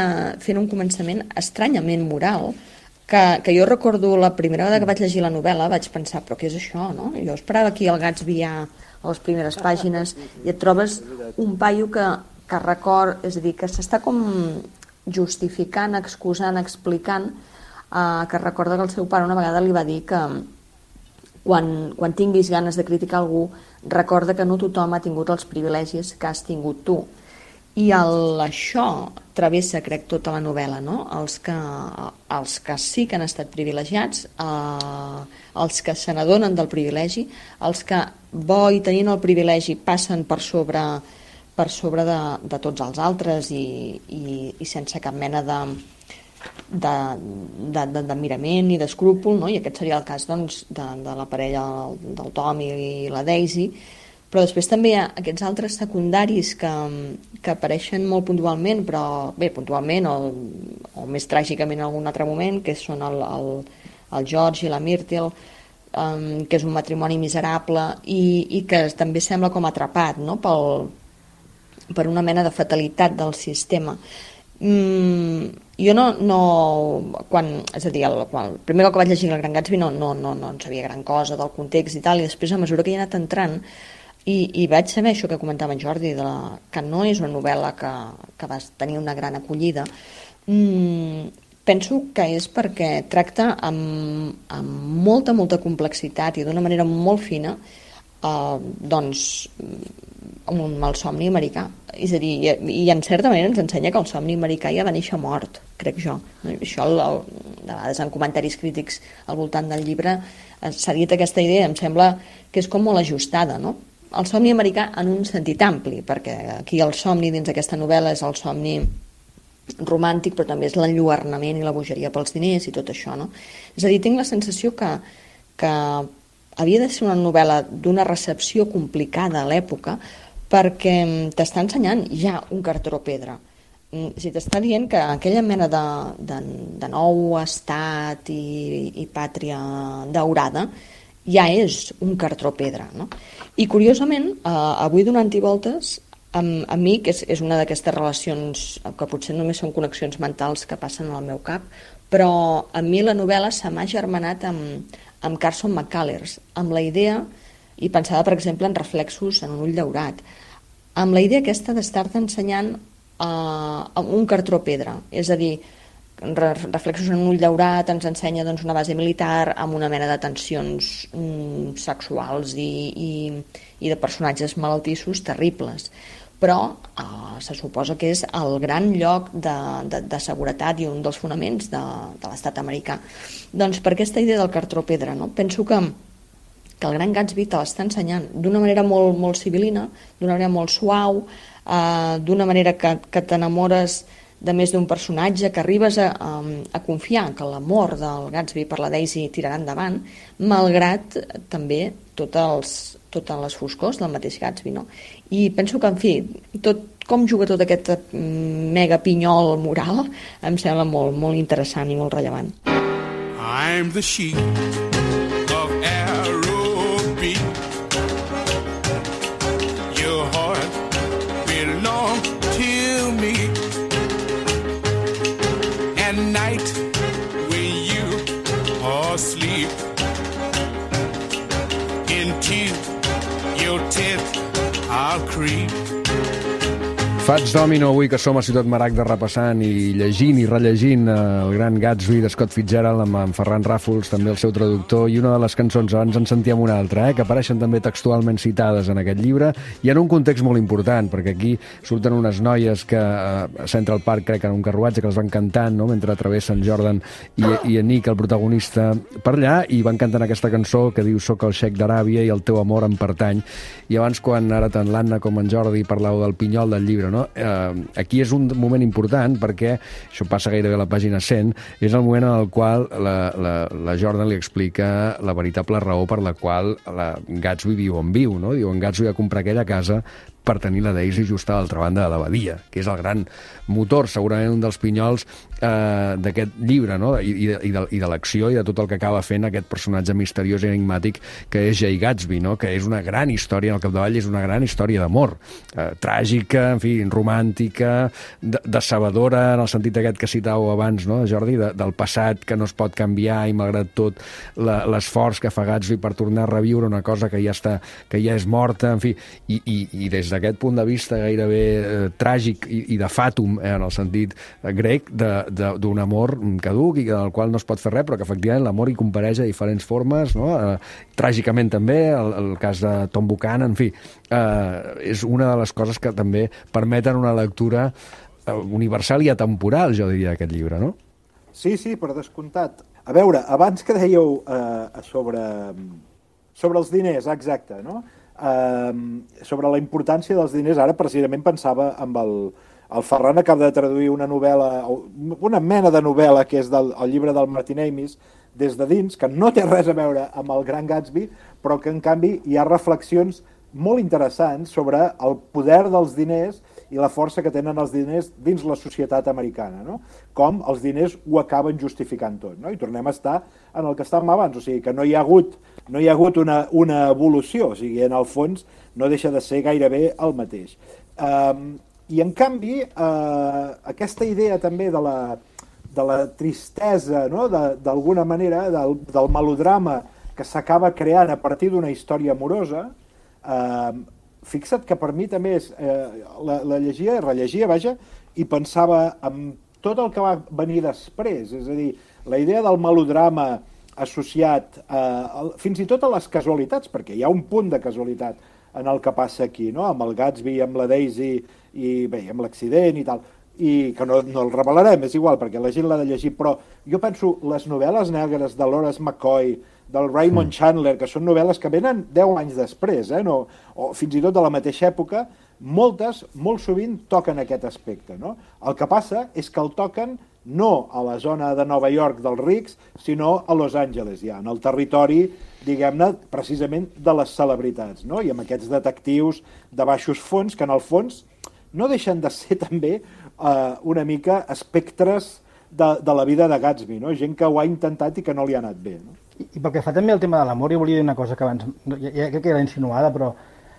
Speaker 5: fent un començament estranyament moral, que, que jo recordo la primera vegada que vaig llegir la novel·la vaig pensar, però què és això, no? Jo esperava aquí el Gatsby ja a les primeres pàgines i et trobes un paio que, que record, és a dir, que s'està com justificant, excusant, explicant, eh, que recorda que el seu pare una vegada li va dir que quan, quan tinguis ganes de criticar algú, recorda que no tothom ha tingut els privilegis que has tingut tu. I el, això travessa, crec, tota la novel·la, no? Els que, els que sí que han estat privilegiats, eh, els que se n'adonen del privilegi, els que, bo i tenint el privilegi, passen per sobre, per sobre de, de tots els altres i, i, i sense cap mena de, de, de, de, de mirament i d'escrúpol, no? I aquest seria el cas, doncs, de, de la parella del Tom i la Daisy. Però després també hi ha aquests altres secundaris que, que apareixen molt puntualment, però bé, puntualment o, o més tràgicament en algun altre moment, que són el, el, el George i la Myrtle, um, que és un matrimoni miserable i, i que també sembla com atrapat, no?, pel, per una mena de fatalitat del sistema. Mm, jo no, no quan, és a dir, el, quan, el primer cop que vaig llegir el Gran Gatsby no, no, no, no en sabia gran cosa del context i tal, i després a mesura que hi he anat entrant I, i vaig saber això que comentava en Jordi, de la, que no és una novel·la que, que va tenir una gran acollida. Mm, penso que és perquè tracta amb, amb molta, molta complexitat i d'una manera molt fina eh, doncs, amb un malsomni americà. És a dir, i, i en certa manera ens ensenya que el somni americà ja va néixer mort, crec jo. Això, el, el, de vegades en comentaris crítics al voltant del llibre s'ha dit aquesta idea, em sembla que és com molt ajustada, no? El somni americà en un sentit ampli, perquè aquí el somni dins d'aquesta novel·la és el somni romàntic, però també és l'enlluernament i la bogeria pels diners i tot això, no? És a dir, tinc la sensació que, que havia de ser una novel·la d'una recepció complicada a l'època perquè t'està ensenyant ja un cartró pedra. Si t'està dient que aquella mena de, de, de nou estat i, i pàtria daurada ja és un cartró pedra, no? I curiosament, eh, avui donant-hi voltes, amb, amb mi, que és, és una d'aquestes relacions que potser només són connexions mentals que passen al meu cap, però a mi la novel·la se m'ha germanat amb, amb Carson McCullers, amb la idea, i pensava per exemple en Reflexos en un ull daurat, amb la idea aquesta d'estar-te ensenyant eh, un cartró pedra, és a dir, Reflexos en un ull daurat ens ensenya doncs, una base militar amb una mena de tensions mm, sexuals i, i, i de personatges malaltissos terribles, però eh, se suposa que és el gran lloc de, de, de seguretat i un dels fonaments de, de l'estat americà. Doncs per aquesta idea del cartró pedra, no? Penso que, que el Gran Gatsby te l'està ensenyant d'una manera molt, molt civilina, d'una manera molt suau, eh, d'una manera que, que t'enamores de més d'un personatge, que arribes a, a, a confiar que l'amor del Gatsby per la Daisy tirarà endavant, malgrat també tots els, totes les foscors del mateix Gatsby, no? I penso que, en fi, tot, com juga tot aquest mega pinyol moral em sembla molt, molt interessant i molt rellevant.
Speaker 8: I'm the sheep of arrow beat. Your heart belongs to me. At night when you are asleep, into your tent I'll creep.
Speaker 1: Fats Domino, avui que som a Ciutat Maragda repassant i llegint i rellegint el gran Gatsby de Scott Fitzgerald amb en Ferran Ràfols, també el seu traductor, i una de les cançons, abans en sentíem una altra, eh, que apareixen també textualment citades en aquest llibre, i en un context molt important, perquè aquí surten unes noies que a Central Park, crec, en un carruatge, que les van cantant, no?, mentre travessen Jordan i, i en Nick, el protagonista, per allà, i van cantant aquesta cançó que diu «Soc el xeic d'Aràbia i el teu amor em pertany». I abans, quan ara tant l'Anna com en Jordi parlàveu del pinyol del llibre, no? Eh, aquí és un moment important perquè, això passa gairebé a la pàgina cent, és el moment en el qual la, la, la Jordan li explica la veritable raó per la qual la Gatsby viu on viu, no? Diu, en Gatsby va comprar aquella casa per tenir la Daisy just a l'altra banda de la badia, que és el gran motor, segurament un dels pinyols eh, d'aquest llibre, no? I, i, de, i, de, i de l'acció i de tot el que acaba fent aquest personatge misteriós i enigmàtic que és Jay Gatsby, no? Que és una gran història, al capdavall és una gran història d'amor, eh, tràgica, en fi, romàntica, de, decebedora, en el sentit aquest que citàveu abans, no, Jordi, de, del passat que no es pot canviar i malgrat tot l'esforç que fa Gatsby per tornar a reviure una cosa que ja està, que ja és morta, en fi, i, i, i des d'aquest punt de vista gairebé eh, tràgic i, i de fàtum, eh, en el sentit eh, grec, d'un amor caduc i del qual no es pot fer res, però que efectivament l'amor hi compareix a diferents formes, no? Eh, tràgicament també, el, el cas de Tom Buchanan, en fi, eh, és una de les coses que també permeten una lectura eh, universal i atemporal, jo diria, d'aquest llibre, no?
Speaker 6: Sí, sí, per descomptat. A veure, abans que dèieu eh, sobre, sobre els diners, exacte, no? Uh, sobre la importància dels diners, ara precisament pensava amb el, el Ferran acaba de traduir una novel·la, una mena de novel·la que és del el llibre del Martin Amis, Des de dins, que no té res a veure amb el Gran Gatsby, però que en canvi hi ha reflexions molt interessants sobre el poder dels diners i la força que tenen els diners dins la societat americana, no? Com els diners ho acaben justificant tot, no? I tornem a estar en el que estàvem abans, o sigui que no hi ha hagut, no hi ha hagut una, una evolució, o sigui, en el fons no deixa de ser gairebé el mateix. Um, I en canvi, uh, aquesta idea també de la, de la tristesa, no? D'alguna manera, del, del melodrama que s'acaba creant a partir d'una història amorosa, uh, fixa't que per mi també és, eh, la, la llegia, rellegia, vaja, i pensava en tot el que va venir després, és a dir, la idea del melodrama associat eh, fins i tot a les casualitats, perquè hi ha un punt de casualitat en el que passa aquí, no? Amb el Gatsby, amb la Daisy, i bé, amb l'accident i tal, i que no, no el revelarem, és igual, perquè la gent l'ha de llegir, però jo penso, les novel·les negres de Horace McCoy, del Raymond sí. Chandler, que són novel·les que venen deu anys després, eh? No, o fins i tot de la mateixa època, moltes, molt sovint, toquen aquest aspecte, no? El que passa és que el toquen no a la zona de Nova York dels rics, sinó a Los Angeles, ja, en el territori, diguem-ne, precisament de les celebritats, no? I amb aquests detectius de baixos fons, que en el fons no deixen de ser també eh, una mica espectres de, de la vida de Gatsby, no? Gent que ho ha intentat i que no li ha anat bé, no?
Speaker 4: I, i pel que fa també al tema de l'amor, jo volia dir una cosa que abans, ja, ja crec que era insinuada, però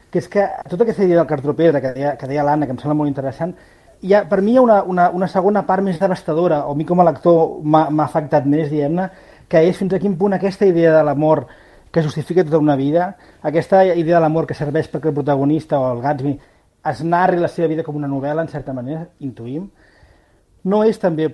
Speaker 4: que és que tota aquesta idea del cartropedre que deia, que deia l'Anna, que em sembla molt interessant, hi ha, per mi hi ha una, una, una segona part més devastadora, o a mi com a lector m'ha afectat més, diguem-ne, que és fins a quin punt aquesta idea de l'amor que justifica tota una vida, aquesta idea de l'amor que serveix perquè el protagonista o el Gatsby es narri la seva vida com una novel·la, en certa manera, intuïm, no és també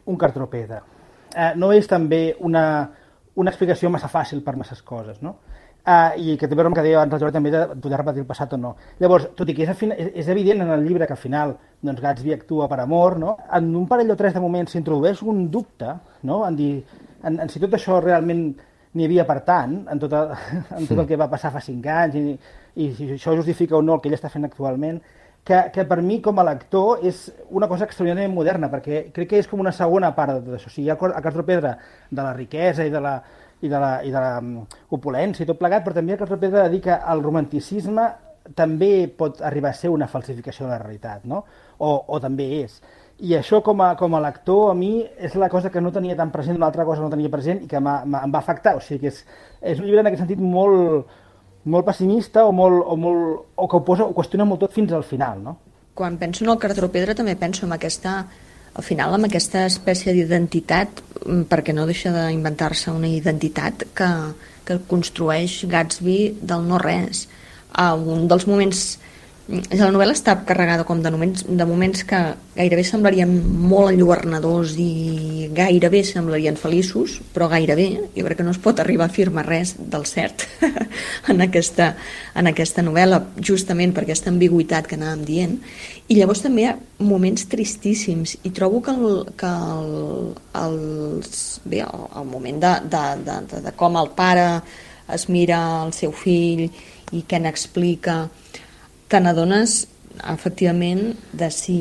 Speaker 4: un cartropedre, eh, no és també una, una explicació massa fàcil per masses coses, no? Uh, I que té a veure amb el que deia abans el Jordi també de poder repetir el passat o no. Llavors, tot i que és, final, és, és evident en el llibre que al final doncs, Gatsby actua per amor, no? En un parell o tres de moments s'introdueix un dubte, no? En, dir, en, en si tot això realment n'hi havia per tant, en tot, el, en tot el que va passar fa cinc anys, i, i si això justifica o no el que ell està fent actualment, que, que per mi, com a lector, és una cosa extraordinàriament moderna, perquè crec que és com una segona part de tot això. O sigui, hi ha el Cartropedra de la riquesa i de la, i de la, i de la um, opulència i tot plegat, però també el Cartropedra de dir que el romanticisme també pot arribar a ser una falsificació de la realitat, no? O, o també és. I això, com a, com a lector, a mi és la cosa que no tenia tan present, una altra cosa que no tenia present i que em va afectar. O sigui, que és, és un llibre en aquest sentit molt, molt pessimista o, molt, o, molt, o que ho, posa, ho qüestiona molt tot fins al final, no?
Speaker 5: Quan penso en el Cartropedra també penso en aquesta, al final, en aquesta espècie d'identitat, perquè no deixa d'inventar-se una identitat que, que construeix Gatsby del no-res. Uh, un dels moments... La novel·la està carregada com de moments, de moments que gairebé semblarien molt enlluernadors i gairebé semblarien feliços, però gairebé, jo crec que no es pot arribar a afirmar res del cert en, aquesta, en aquesta novel·la, justament per aquesta ambigüitat que anàvem dient. I llavors també hi ha moments tristíssims i trobo que el, que el, els, bé, el, el moment de, de, de, de, de com el pare es mira al seu fill i què n'explica, te n'adones efectivament de si,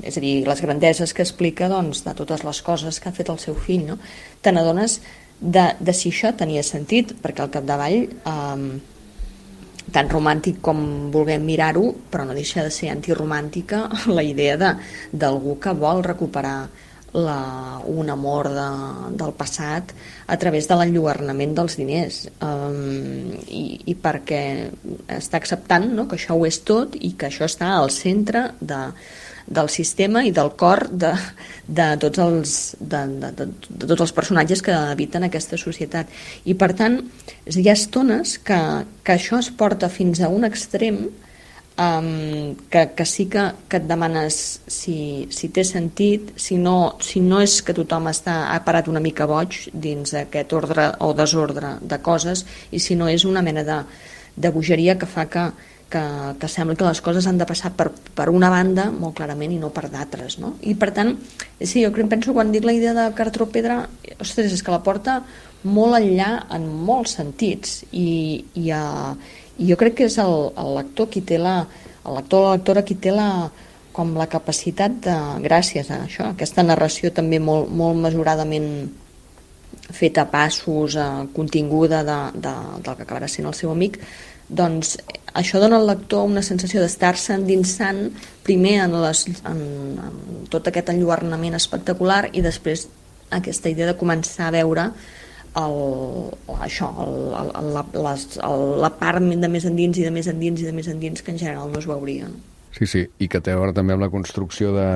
Speaker 5: és a dir, les grandeses que explica, doncs, de totes les coses que ha fet el seu fill, no? Te n'adones de, de si això tenia sentit, perquè al capdavall eh, tan romàntic com vulguem mirar-ho, però no deixa de ser antiromàntica la idea de, d'algú que vol recuperar la, un amor de, del passat a través de l'enlluernament dels diners, um, i, i perquè està acceptant, no?, que això ho és tot i que això està al centre de, del sistema i del cor de, de, tots els, de, de, de, de tots els personatges que habiten aquesta societat. I per tant, hi ha estones que, que això es porta fins a un extrem Um, que, que sí que, que et demanes si, si té sentit, si no, si no és que tothom està, ha parat una mica boig dins aquest ordre o desordre de coses, i si no és una mena de, de bogeria que fa que, que, que sembla que les coses han de passar per, per una banda molt clarament i no per d'altres, no? I per tant, sí, jo crec, penso, quan dic la idea de Cartropedra, ostres, és que la porta molt enllà en molts sentits, i, i a I jo crec que és el, el lector qui té la, el lector o la lectora qui té la, com la capacitat de, gràcies a això, aquesta narració també molt, molt mesuradament feta a passos, eh, continguda de, de, del que acabarà sent el seu amic, doncs això dona al lector una sensació d'estar-se endinsant primer en, les, en, en tot aquest enlluernament espectacular i després aquesta idea de començar a veure El, això, el, el, la, les, el, la part de més endins i de més endins i de més endins que en general no es veuria.
Speaker 1: Sí, sí, i que té a veure també amb la construcció de...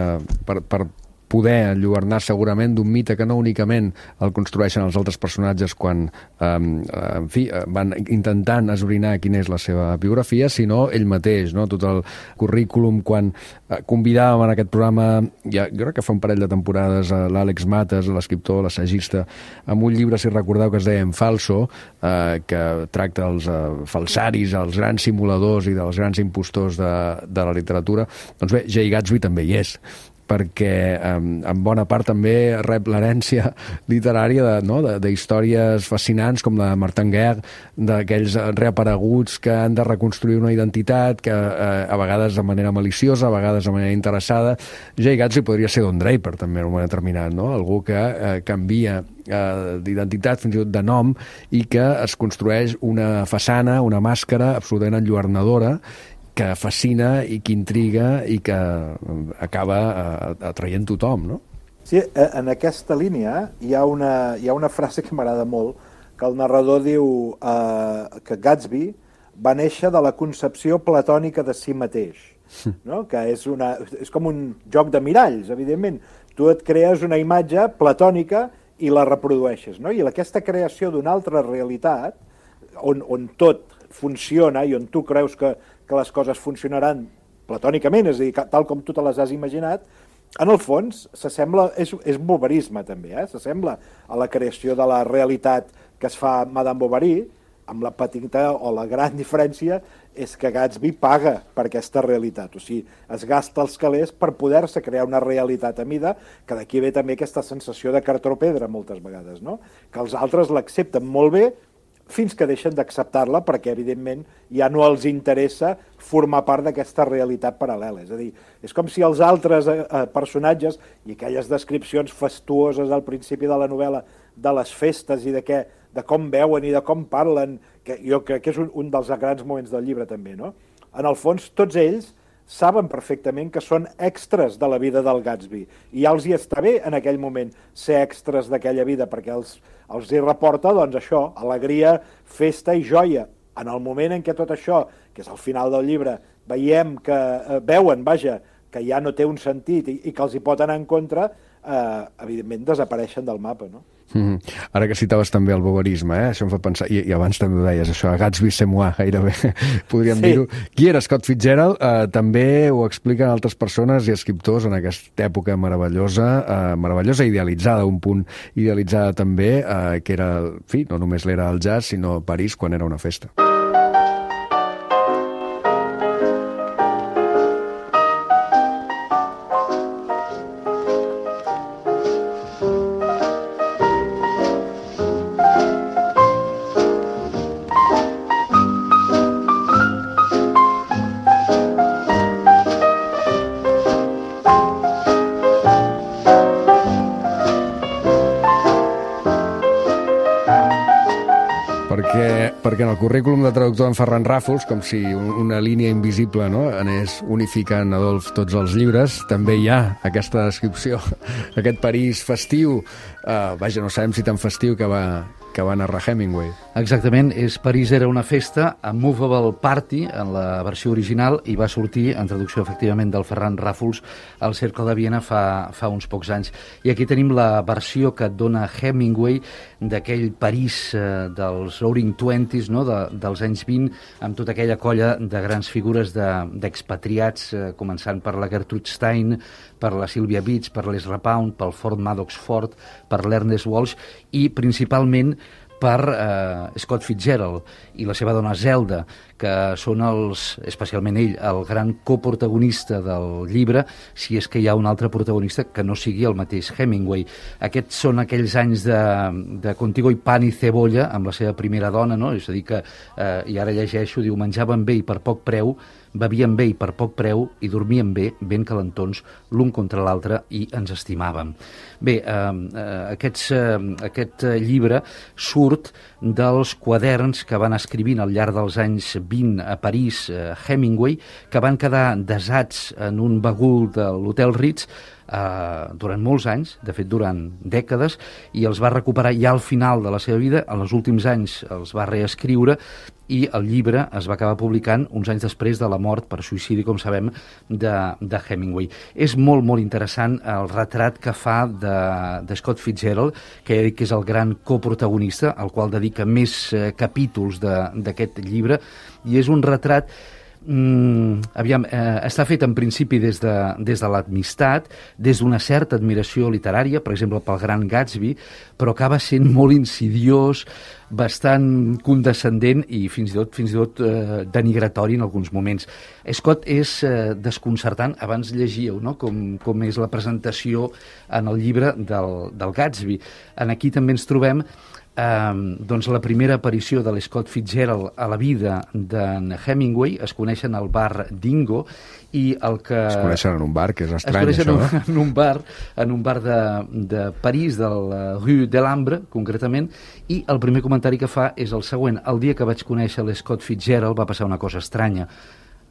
Speaker 1: Per, per poder enlluernar segurament d'un mite que no únicament el construeixen els altres personatges quan eh, en fi, van intentant esbrinar quina és la seva biografia, sinó ell mateix, no? Tot el currículum, quan eh, convidàvem en aquest programa, ja, jo crec que fa un parell de temporades, a l'Àlex Mates, l'escriptor, l'assagista, amb un llibre, si recordeu, que es deia En Falso, eh, que tracta els eh, falsaris, els grans simuladors i dels grans impostors de, de la literatura. Doncs bé, Jay Gatsby també hi és, perquè eh, en bona part també rep l'herència literària de, no? de, de històries fascinants com la de Martin Guerre, d'aquells reapareguts que han de reconstruir una identitat, que eh, a vegades de manera maliciosa, a vegades de manera interessada. Jay Gatsby podria ser Don Draper també en un moment determinat, no? Algú que eh, canvia eh, d'identitat, fins i tot de nom, i que es construeix una façana, una màscara absolutament enlluernadora, que fascina i que intriga i que acaba atraient tothom, no?
Speaker 6: Sí, en aquesta línia hi ha una, hi ha una frase que m'agrada molt, que el narrador diu eh, que Gatsby va néixer de la concepció platònica de si mateix, no? Que és, una, és com un joc de miralls, evidentment. Tu et crees una imatge platònica i la reprodueixes, no? I aquesta creació d'una altra realitat, on, on tot funciona i on tu creus que que les coses funcionaran platònicament, és a dir, tal com tu te les has imaginat, en el fons s'assembla, és, és boverisme també, eh? S'assembla a la creació de la realitat que es fa Madame Bovary, amb la petita o la gran diferència és que Gatsby paga per aquesta realitat, o sigui, es gasta els calés per poder-se crear una realitat a mida, que d'aquí ve també aquesta sensació de Cartropedra moltes vegades, no? Que els altres l'accepten molt bé, fins que deixen d'acceptar-la perquè, evidentment, ja no els interessa formar part d'aquesta realitat paral·lela. És a dir, és com si els altres eh, personatges i aquelles descripcions fastuoses al principi de la novel·la de les festes i de, què, de com veuen i de com parlen, que jo crec que és un, un dels grans moments del llibre també, no? En el fons, tots ells saben perfectament que són extras de la vida del Gatsby i ja els hi està bé en aquell moment ser extras d'aquella vida perquè els, els hi reporta, doncs això, alegria, festa i joia. En el moment en què tot això, que és al final del llibre, veiem que eh, veuen, vaja, que ja no té un sentit i, i que els hi pot anar en contra, eh, evidentment desapareixen del mapa, no?
Speaker 1: Mm-hmm. Ara que citaves també el bowerisme, eh? Això em fa pensar, i, i abans també ho deies, això, Gatsby c'est moi, gairebé, podríem sí. dir-ho. Qui era Scott Fitzgerald? Eh, també ho expliquen altres persones i escriptors en aquesta època meravellosa, eh, meravellosa idealitzada, un punt idealitzada també, eh, que era, en fi, no només l'era el jazz, sinó París quan era una festa. Perquè, perquè en el currículum de traductor d'en Ferran Ràfols, com si una línia invisible, no?, anés unificant, Adolf, tots els llibres, també hi ha aquesta descripció, aquest París festiu, uh, vaja, no sabem si tan festiu que va, que va narrar Hemingway.
Speaker 9: Exactament, és París era una festa, a Movable Party, en la versió original, i va sortir, en traducció efectivament del Ferran Ràfols, al Cercle de Viena fa, fa uns pocs anys. I aquí tenim la versió que dona Hemingway d'aquell París eh, dels Roaring Twenties, no?, de, dels anys vint, amb tota aquella colla de grans figures d'expatriats, de, eh, començant per la Gertrude Stein, per la Sylvia Beach, per l'Ezra Pound, pel Ford Madox Ford, per l'Ernest Walsh i principalment per eh, Scott Fitzgerald i la seva dona Zelda, que són els, especialment ell, el gran coprotagonista del llibre, si és que hi ha un altre protagonista que no sigui el mateix Hemingway. Aquests són aquells anys de, de Contigo i pan i cebolla amb la seva primera dona, no? És a dir que, eh, i ara llegeixo, diu, menjaven bé i per poc preu, bevien bé i per poc preu i dormien bé, ben calentons, l'un contra l'altre, i ens estimàvem. Bé, eh, aquests, eh, aquest llibre surt dels quaderns que van escrivint al llarg dels anys vint a París eh, Hemingway, que van quedar desats en un bagul de l'Hotel Ritz eh, durant molts anys, de fet durant dècades, i els va recuperar ja al final de la seva vida, en els últims anys els va reescriure, i el llibre es va acabar publicant uns anys després de la mort per suïcidi, com sabem, de, de Hemingway. És molt, molt interessant el retrat que fa de, de Scott Fitzgerald, que ja dic que és el gran coprotagonista, al qual dedica més eh, capítols d'aquest llibre, i és un retrat Mm, aviam, eh, està fet en principi des de, des de l'amistat, des d'una certa admiració literària, per exemple pel Gran Gatsby, però acaba sent molt insidiós, bastant condescendent i fins i tot, fins i tot eh, denigratori en alguns moments. Scott és eh, desconcertant, abans llegíeu, no?, com, com és la presentació en el llibre del, del Gatsby. En aquí també ens trobem Um, doncs la primera aparició de l'Scott Fitzgerald a la vida d'en Hemingway. Es coneixen al bar Dingo i el que...
Speaker 1: Es coneixen en un bar, que és estrany,
Speaker 9: això. Es
Speaker 1: coneixen
Speaker 9: en, en un bar, en un bar de, de París, de la Rue de l'Ambre, concretament, i el primer comentari que fa és el següent: el dia que vaig conèixer l'Scott Fitzgerald va passar una cosa estranya.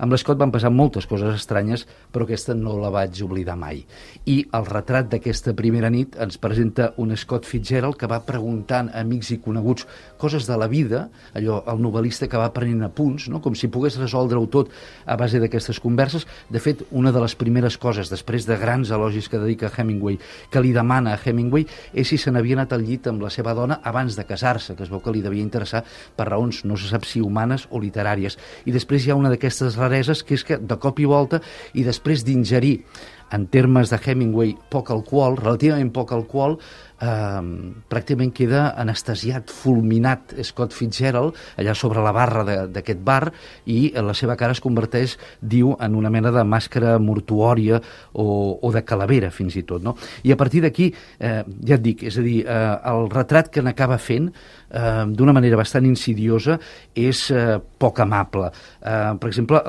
Speaker 9: Amb l'Scott van passar moltes coses estranyes, però aquesta no la vaig oblidar mai. I el retrat d'aquesta primera nit ens presenta un Scott Fitzgerald que va preguntant a amics i coneguts coses de la vida, allò, el novel·lista que va prenent apunts, no?, com si pogués resoldre-ho tot a base d'aquestes converses. De fet, una de les primeres coses, després de grans elogis que dedica Hemingway, que li demana a Hemingway, és si se n'havia anat al llit amb la seva dona abans de casar-se, que es veu que li devia interessar per raons, no se sap si humanes o literàries. I després hi ha una d'aquestes rareses, que és que de cop i volta, i després d'ingerir en termes de Hemingway, poc alcohol, relativament poc alcohol, eh, pràcticament queda anestesiat, fulminat Scott Fitzgerald, allà sobre la barra d'aquest bar, i la seva cara es converteix, diu, en una mena de màscara mortuòria o, o de calavera, fins i tot, no? I a partir d'aquí, eh, ja et dic, és a dir, eh, el retrat que n'acaba fent, eh, d'una manera bastant insidiosa, és eh, poc amable. Eh, per exemple,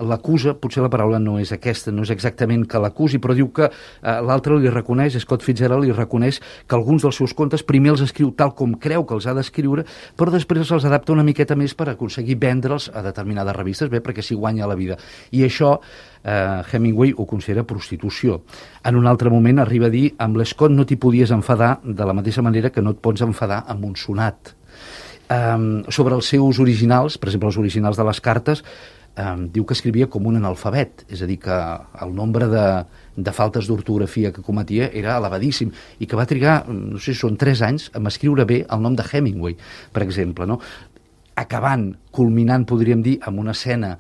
Speaker 9: l'acusa, potser la paraula no és aquesta, no és exactament que l'acusi, però diu que eh, l'altre li reconeix, Scott Fitzgerald li reconeix que alguns dels seus contes primer els escriu tal com creu que els ha d'escriure, però després els adapta una miqueta més per aconseguir vendre'ls a determinades revistes, bé, perquè s'hi guanya la vida. I això eh, Hemingway ho considera prostitució. En un altre moment arriba a dir, amb l'Scott no t'hi podies enfadar de la mateixa manera que no et pots enfadar amb un sonat. Um, sobre els seus originals, per exemple, els originals de les cartes, um, diu que escrivia com un analfabet, és a dir, que el nombre de, de faltes d'ortografia que cometia era elevadíssim i que va trigar, no sé si són tres anys, a escriure bé el nom de Hemingway, per exemple, no? Acabant, culminant, podríem dir, amb una escena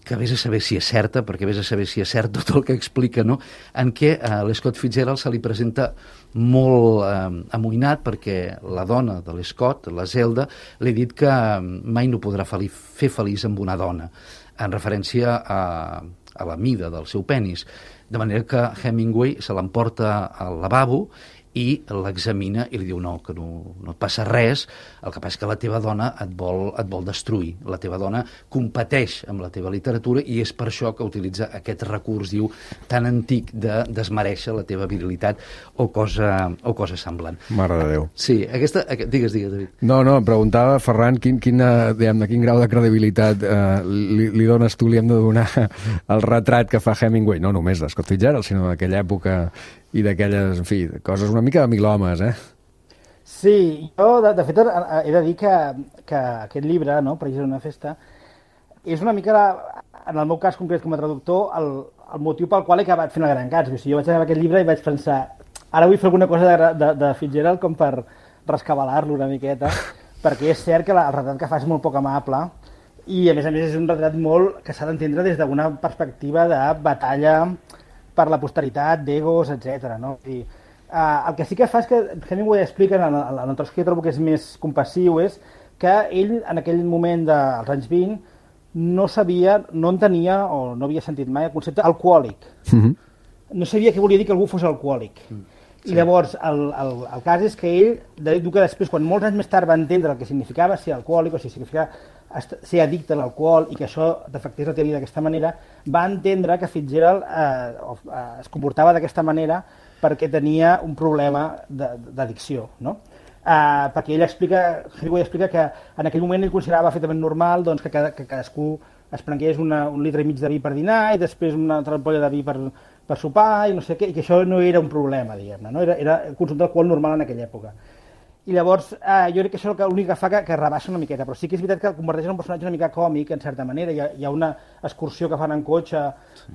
Speaker 9: que vés a saber si és certa, perquè vés a saber si és cert tot el que explica, no? En què a l'Scott Fitzgerald se li presenta molt eh, amoïnat perquè la dona de l'Scott, la Zelda, li ha dit que mai no podrà fel fer feliç amb una dona, en referència a, a la mida del seu penis. De manera que Hemingway se l'emporta al lavabo i l'examina i li diu no, que no, no et passa res, el que passa és que la teva dona et vol, et vol destruir, la teva dona competeix amb la teva literatura i és per això que utilitza aquest recurs, diu, tan antic de desmereixer la teva virilitat o cosa, o cosa semblant.
Speaker 1: Mare de Déu.
Speaker 9: Sí, aquesta... Digues, digues, David.
Speaker 1: No, no, em preguntava, Ferran, quin, quina, diguem, quin grau de credibilitat eh, li, li dones tu, li hem de donar el retrat que fa Hemingway, no només de Scott Fitzgerald, sinó d'aquella època i d'aquelles, en fi, coses una mica de mil homes, eh?
Speaker 4: Sí, jo, de, de fet, he de dir que, que aquest llibre, no, per exemple, una festa, és una mica, en el meu cas concret com a traductor, el, el motiu pel qual he acabat fent el Gran Gatsby. O sigui, jo vaig acabar aquest llibre i vaig pensar, ara vull fer alguna cosa de, de, de Fitzgerald com per rescabalar-lo una miqueta, perquè és cert que la, el retrat que fa és molt poc amable i, a més a més, és un retrat molt que s'ha d'entendre des d'una perspectiva de batalla per la posteritat, d'egos, etcètera. No? I, uh, el que sí que fa és que Hemingway explica, en el, en el tros que jo trobo que és més compassiu, és que ell, en aquell moment dels anys vint, no sabia, no entenia, o no havia sentit mai, el concepte alcohòlic. Mm-hmm. No sabia què volia dir que algú fos alcohòlic. Mm. I sí. Llavors, el, el, el cas és que ell, diu que després, quan molts anys més tard va entendre el que significava ser alcohòlic, o sigui, significava ser addicte a l'alcohol i que això defectés la teoria d'aquesta manera, va entendre que Fitzgerald eh, eh, es comportava d'aquesta manera perquè tenia un problema d'addicció, no? Eh, perquè ell explica, Hemingway explica que en aquell moment ell considerava perfectament normal doncs, que, cada, que cadascú es prengués una, un litre i mig de vi per dinar i després una altra ampolla de vi per, per sopar i no sé què, i que això no era un problema, diguem-ne, no? Era, era el consum d'alcohol normal en aquella època. I llavors, eh, jo crec que això és l'únic que fa que, que rebaixa una miqueta, però sí que és veritat que el converteix en un personatge una mica còmic, en certa manera. Hi ha, hi ha una excursió que fan en cotxe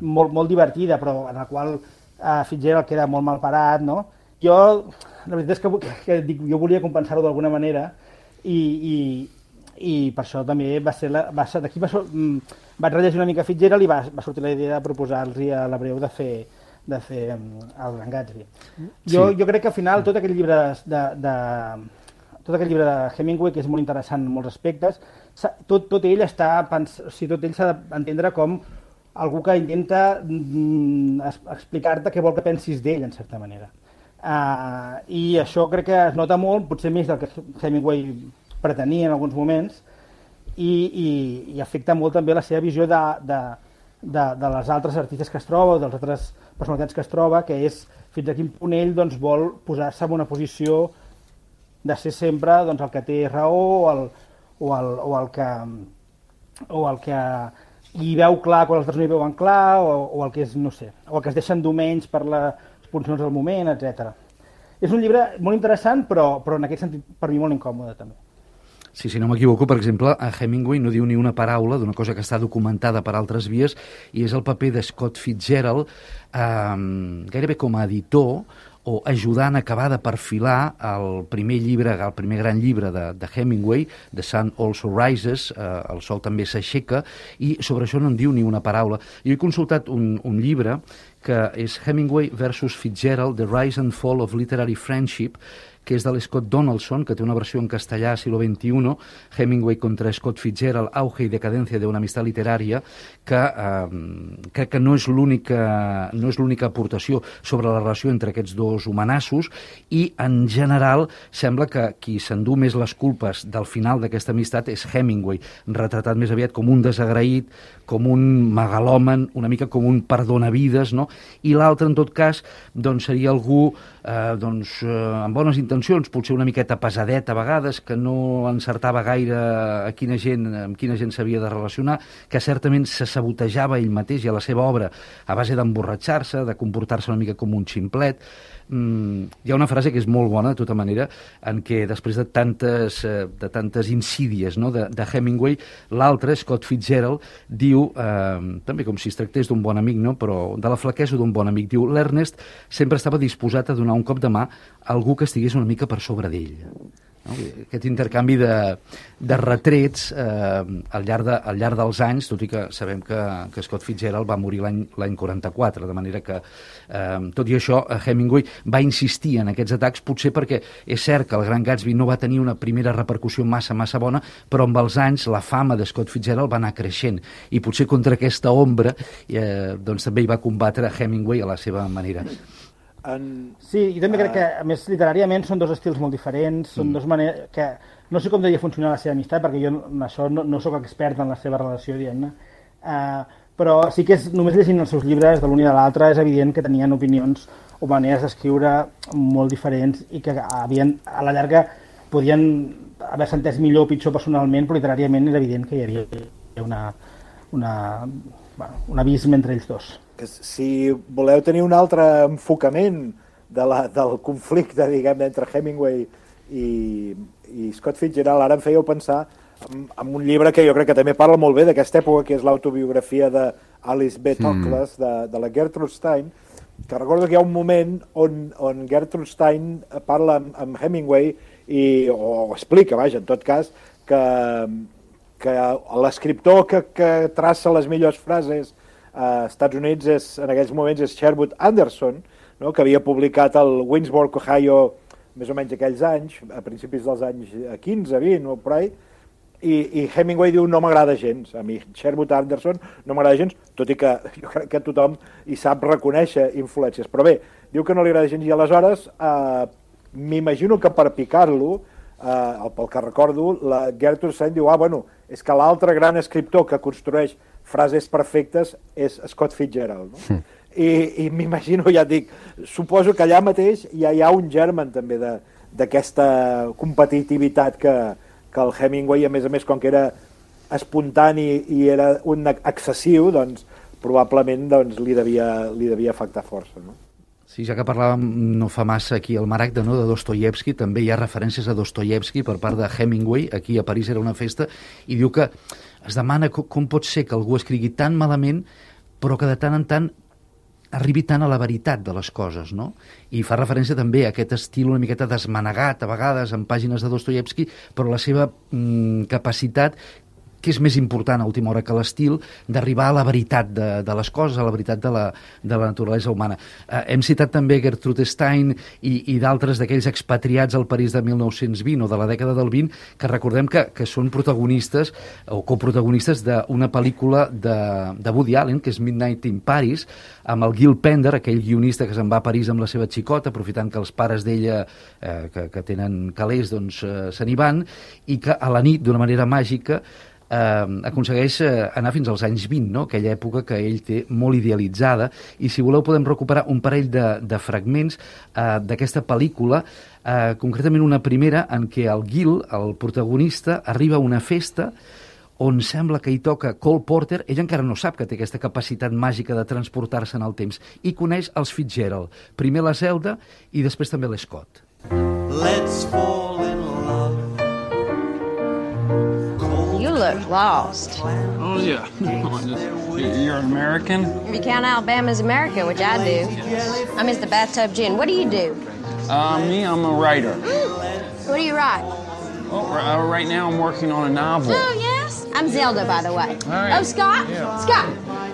Speaker 4: molt, molt divertida, però en la qual eh, Fitzgerald queda molt mal parat, no? Jo, la veritat és que, que, que dic, jo volia compensar-ho d'alguna manera i, i, i per això també va ser... La, va ser d'aquí va, vaig rellegir una mica Fitzgerald i va, va sortir la idea de proposar-los a l'Abreu de fer de fer el Gran Gatsby. Jo, sí. jo crec que al final tot aquest llibre de, de, tot aquest llibre de Hemingway, que és molt interessant en molts aspectes, tot, tot ell està pens... o sigui, tot ell s'ha d'entendre com algú que intenta mm, explicar-te què vol que pensis d'ell, en certa manera. Uh, I això crec que es nota molt, potser més del que Hemingway pretenia en alguns moments, i, i, i afecta molt també la seva visió de, de, de, de les altres artistes que es troba, o dels altres personalitats que es troba, que és fins a quin punt ell doncs, vol posar-se en una posició de ser sempre doncs, el que té raó o el, o el, o el que o el que hi veu clar quan els altres no hi veuen clar o, o el que és, no sé, o el que es deixen dur menys per les puncions del moment, etcètera. És un llibre molt interessant, però, però en aquest sentit per mi molt incòmode també.
Speaker 9: Sí, si no m'equivoco, per exemple, a Hemingway no diu ni una paraula d'una cosa que està documentada per altres vies i és el paper de Scott Fitzgerald eh, gairebé com a editor o ajudant a acabar de perfilar el primer llibre, el primer gran llibre de, de Hemingway, The Sun Also Rises, eh, El sol també s'aixeca, i sobre això no en diu ni una paraula. Jo he consultat un, un llibre que és Hemingway versus Fitzgerald, The Rise and Fall of Literary Friendship, que és de l'Scott Donaldson, que té una versió en castellà, siglo veintiuno, Hemingway contra Scott Fitzgerald, auge i decadencia de una amistad literaria, que eh, crec que no és l'única no és l'única aportació sobre la relació entre aquests dos homenassos, i en general sembla que qui s'endú més les culpes del final d'aquesta amistat és Hemingway, retratat més aviat com un desagraït, com un megalòman, una mica com un perdonavides, no? I l'altre, en tot cas, doncs seria algú eh, doncs, eh, amb bones intencions, potser una miqueta pesadet a vegades, que no encertava gaire a quina gent, amb quina gent s'havia de relacionar, que certament se sabotejava ell mateix i a la seva obra a base d'emborratxar-se, de comportar-se una mica com un ximplet. Mm, hi ha una frase que és molt bona, de tota manera, en què després de tantes, eh, de tantes insídies, no?, de, de Hemingway, l'altre, Scott Fitzgerald, diu, eh, també com si es tractés d'un bon amic, no?, però de la flaquesa d'un bon amic, diu, l'Ernest sempre estava disposat a donar un cop de mà a algú que estigués una mica per sobre d'ell. No? Aquest intercanvi de, de retrets eh, al, llarg de, al llarg dels anys, tot i que sabem que, que Scott Fitzgerald va morir l'any l'any quaranta-quatre, de manera que, eh, tot i això, Hemingway va insistir en aquests atacs, potser perquè és cert que el Gran Gatsby no va tenir una primera repercussió massa, massa bona, però amb els anys la fama de Scott Fitzgerald va anar creixent, i potser contra aquesta ombra eh, doncs també hi va combatre Hemingway a la seva manera.
Speaker 4: En... Sí, i també crec que, a més, literàriament són dos estils molt diferents, són mm. dos maneres que... No sé com devia funcionar la seva amistat, perquè jo en això no, no sóc expert en la seva relació, diguem-ne, uh, però sí que és, només llegint els seus llibres de l'un i de l'altre, és evident que tenien opinions o maneres d'escriure molt diferents i que havien, a la llarga podien haver-se entès millor o pitjor personalment, però literàriament és evident que hi havia una, una, bueno, un abisme entre ells dos.
Speaker 6: Que si voleu tenir un altre enfocament de la, del conflicte, diguem, entre Hemingway i, i Scott Fitzgerald, ara em fèieu pensar en, en un llibre que jo crec que també parla molt bé d'aquesta època, que és l'autobiografia d'Alice B. Toklas, mm. de, de la Gertrude Stein, que recordo que hi ha un moment on, on Gertrude Stein parla amb, amb Hemingway i, o, o explica, vaja, en tot cas, que, que l'escriptor que, que traça les millors frases als Estats Units és, en aquells moments és Sherwood Anderson, no?, que havia publicat el Winsburg, Ohio, més o menys aquells anys, a principis dels anys quinze, vint o per ahí, i, i Hemingway diu no m'agrada gens, a mi Sherwood Anderson no m'agrada gens, tot i que jo crec que tothom hi sap reconèixer influències, però bé, diu que no li agrada gens, i aleshores eh, m'imagino que per picar-lo, eh, pel que recordo, la Gertrude Stein diu, ah, bueno, és que l'altre gran escriptor que construeix frases perfectes és Scott Fitzgerald, no? Mm. I, i m'imagino, ja et dic, suposo que allà mateix ja hi ha un germen també d'aquesta competitivitat que, que el Hemingway, a més a més, com que era espontani i era un excessiu, doncs probablement doncs, li, devia, li devia afectar força, no?
Speaker 9: Sí, ja que parlàvem no fa massa aquí al Maragda, no?, de Dostoievski, també hi ha referències a Dostoievski per part de Hemingway, aquí a París era una festa, i diu que es demana com, com pot ser que algú escrigui tan malament, però que de tant en tant arribi tant a la veritat de les coses, no? I fa referència també a aquest estil una miqueta desmanegat, a vegades, en pàgines de Dostoievski, però la seva mm, capacitat, que és més important a última hora que l'estil, d'arribar a la veritat de, de les coses, a la veritat de la, de la naturalesa humana. Eh, hem citat també Gertrude Stein i, i d'altres d'aquells expatriats al París de mil nou-cents vint o de la dècada del vint, que recordem que, que són protagonistes o coprotagonistes d'una pel·lícula de, de Woody Allen, que és Midnight in Paris, amb el Gil Pender, aquell guionista que se'n va a París amb la seva xicota, aprofitant que els pares d'ella, eh, que, que tenen calés, doncs eh, se n'hi van, i que a la nit, d'una manera màgica, eh, aconsegueix eh, anar fins als anys vint, no?, aquella època que ell té molt idealitzada, i si voleu podem recuperar un parell de, de fragments eh, d'aquesta pel·lícula, eh, concretament una primera en què el Gil, el protagonista, arriba a una festa on sembla que hi toca Cole Porter. Ell encara no sap que té aquesta capacitat màgica de transportar-se en el temps, i coneix els Fitzgerald, primer la Zelda i després també l'Scott.
Speaker 10: Let's fall in love. look lost.
Speaker 11: Oh, yeah. You're an American?
Speaker 10: If you count Alabama as America, which I do. I'm Mister Bathtub Gin. What do you do?
Speaker 11: Uh, me, I'm a writer.
Speaker 10: What do you write?
Speaker 11: Oh, uh, right now I'm working on a novel.
Speaker 10: Oh, yes? I'm Zelda, by the way.
Speaker 11: All right.
Speaker 10: Oh, Scott?
Speaker 11: Yeah.
Speaker 10: Scott.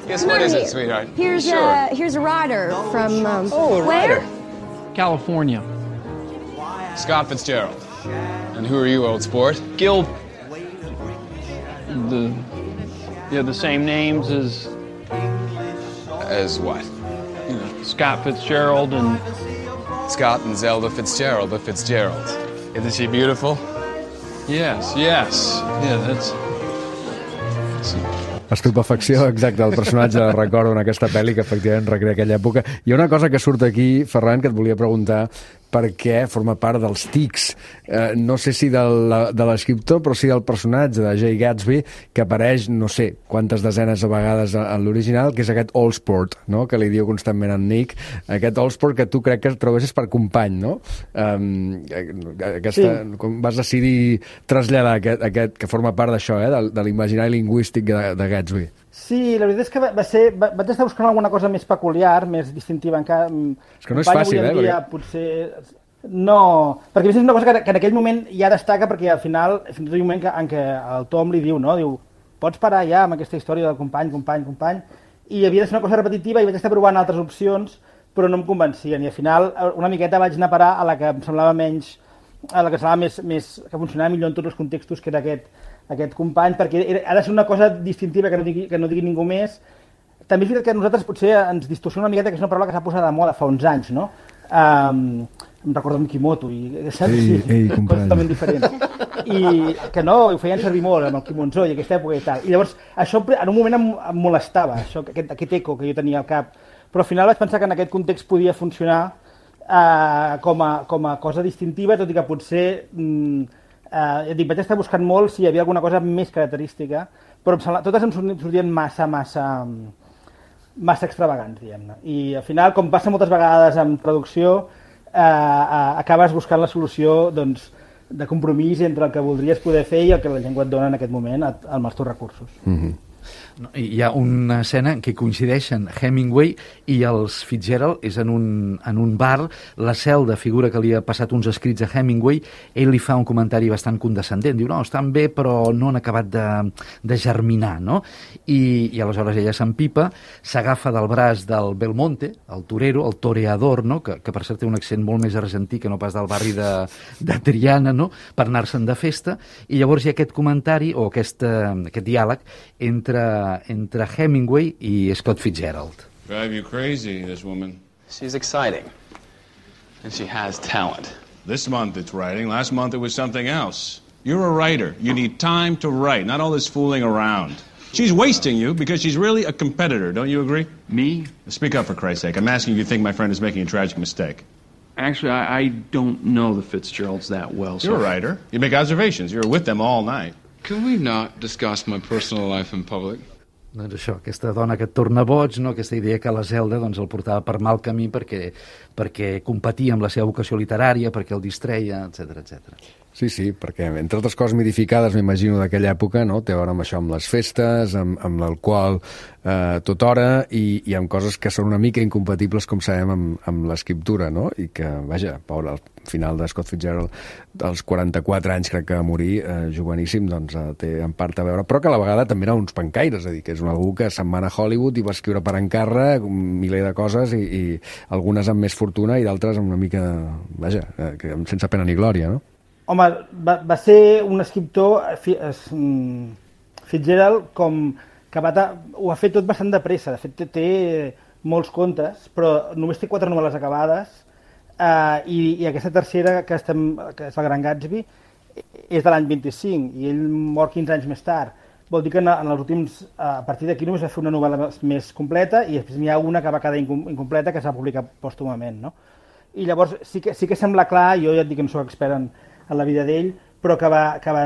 Speaker 12: Yes,
Speaker 10: come
Speaker 12: what
Speaker 10: over
Speaker 12: is
Speaker 10: here.
Speaker 12: it, sweetheart?
Speaker 10: Here's,
Speaker 12: Sure.
Speaker 10: uh, here's a writer from, um,
Speaker 12: Oh, a
Speaker 10: where?
Speaker 12: writer.
Speaker 11: California.
Speaker 12: Scott Fitzgerald. And who are you, old sport?
Speaker 11: Gil... The... Yeah, the same names as...
Speaker 12: As what?
Speaker 11: You know, Scott Fitzgerald and...
Speaker 12: Scott and Zelda Fitzgerald, the Fitzgeralds. Isn't she beautiful?
Speaker 11: Yes, yes. Yeah, that's...
Speaker 1: Estupefacció, exacte, el personatge recordo en aquesta pel·li que efectivament recrea aquella època. Hi ha una cosa que surt aquí, Ferran, que et volia preguntar perquè forma part dels tics, eh, no sé si de l'escriptor, però sí del personatge de Jay Gatsby, que apareix no sé quantes desenes de vegades en l'original, que és aquest Allsport, no? Que li diu constantment en Nick, aquest Allsport que tu crec que trobessis per company, no? Um, aquesta, sí. Com vas decidir traslladar aquest, aquest que forma part d'això, eh? de, de l'imaginari lingüístic de, de Gatsby.
Speaker 4: Sí, la veritat és que va ser, va, vaig estar buscant alguna cosa més peculiar, més distintiva encara.
Speaker 1: És que no és fàcil, eh?
Speaker 4: Dia, perquè... Potser... No, perquè a més és una cosa que, que en aquell moment ja destaca, perquè al final, fins i tot hi ha un moment que, en què el Tom li diu, no? Diu, pots parar ja amb aquesta història del company, company, company, i havia de ser una cosa repetitiva i vaig estar provant altres opcions, però no em convencien, i al final una miqueta vaig anar a parar a la que em semblava menys, a la que semblava més, més que funcionava millor en tots els contextos, que era aquest, aquest company, perquè era, ha de ser una cosa distintiva que no digui, que no digui ningú més. També és veritat que a nosaltres potser ens distorsiona una miqueta, que és una paraula que s'ha posat de moda fa uns anys, no? Um, em recordo amb Kimoto, i saps?
Speaker 1: Ei, ei,
Speaker 4: coses totalment diferents. I que no, ho feien servir molt amb el Kimonzó i aquesta època i tal. I llavors, això en un moment em, em molestava, això, aquest, aquest eco que jo tenia al cap. Però al final vaig pensar que en aquest context podia funcionar uh, com, a, com a cosa distintiva, tot i que potser... Mm, Uh, dic, vaig estar buscant molt si hi havia alguna cosa més característica, però em sembla, totes em sortien massa, massa, massa extravagants, diguem-ne. I al final, com passa moltes vegades en traducció, uh, uh, acabes buscant la solució doncs, de compromís entre el que voldries poder fer i el que la llengua et dona en aquest moment amb els teus recursos.
Speaker 1: Mm-hmm.
Speaker 9: No, hi ha una escena en què coincideixen Hemingway i els Fitzgerald, és en un, en un bar, la Zelda figura que li ha passat uns escrits a Hemingway, ell li fa un comentari bastant condescendent, diu, no, estan bé però no han acabat de, de germinar, no? I, i aleshores ella s'empipa, s'agafa del braç del Belmonte, el torero, el toreador, no? que, que per cert té un accent molt més argentí que no pas del barri de, de Triana, no? Per anar-se'n de festa, i llavors hi ha aquest comentari o aquest, aquest diàleg entre entre Hemingway i Scott Fitzgerald.
Speaker 8: Drive you crazy, this woman.
Speaker 12: She's exciting. And she has talent.
Speaker 8: This month it's writing. Last month it was something else. You're a writer. You need time to write, not all this fooling around. She's wasting you because she's really a competitor. Don't you agree?
Speaker 11: Me?
Speaker 8: Speak up, for Christ's sake. I'm asking if you think my friend is making a tragic mistake.
Speaker 11: Actually, I, I don't know the Fitzgeralds that well. So
Speaker 8: You're a writer. You make observations. You were with them all night.
Speaker 12: Can we not discuss my personal life in public?
Speaker 9: Doncs això, aquesta dona que et torna boig, no? Aquesta idea que la Zelda doncs, el portava per mal camí perquè, perquè competia amb la seva vocació literària, perquè el distreia, etcètera, etcètera.
Speaker 1: Sí, sí, perquè entre altres coses mitificades, m'imagino, d'aquella època, no? Té a veure amb això, amb les festes, amb, amb l'alcohol eh, tot hora, i, i amb coses que són una mica incompatibles, com sabem, amb, amb l'escriptura, no? I que, vaja, pobre, al final de Scott Fitzgerald, dels quaranta-quatre anys, crec que va morir, eh, joveníssim, doncs eh, té en part a veure, però que a la vegada també eren uns pencaires, és a dir, que és un algú que se'n va a Hollywood i va escriure per encàrrec un miler de coses, i, i algunes amb més fortuna i d'altres amb una mica, vaja, eh, que, sense pena ni glòria, no?
Speaker 4: Home, va, va ser un escriptor, Fitzgerald, com que va ta, ho ha fet tot bastant de pressa. De fet, té, té molts contes, però només té quatre novel·les acabades, eh, i, i aquesta tercera, que, estem, que és el Gran Gatsby, és de l'any vint-i-cinc, i ell mor quinze anys més tard. Vol dir que en, en els últims, a partir d'aquí només va fer una novel·la més completa, i després n'hi ha una que va quedar incompleta, que s'ha publicat pòstumament, no? I llavors sí que, sí que sembla clar, jo ja et dic que no soc expert en, en la vida d'ell, però que, va, que, va,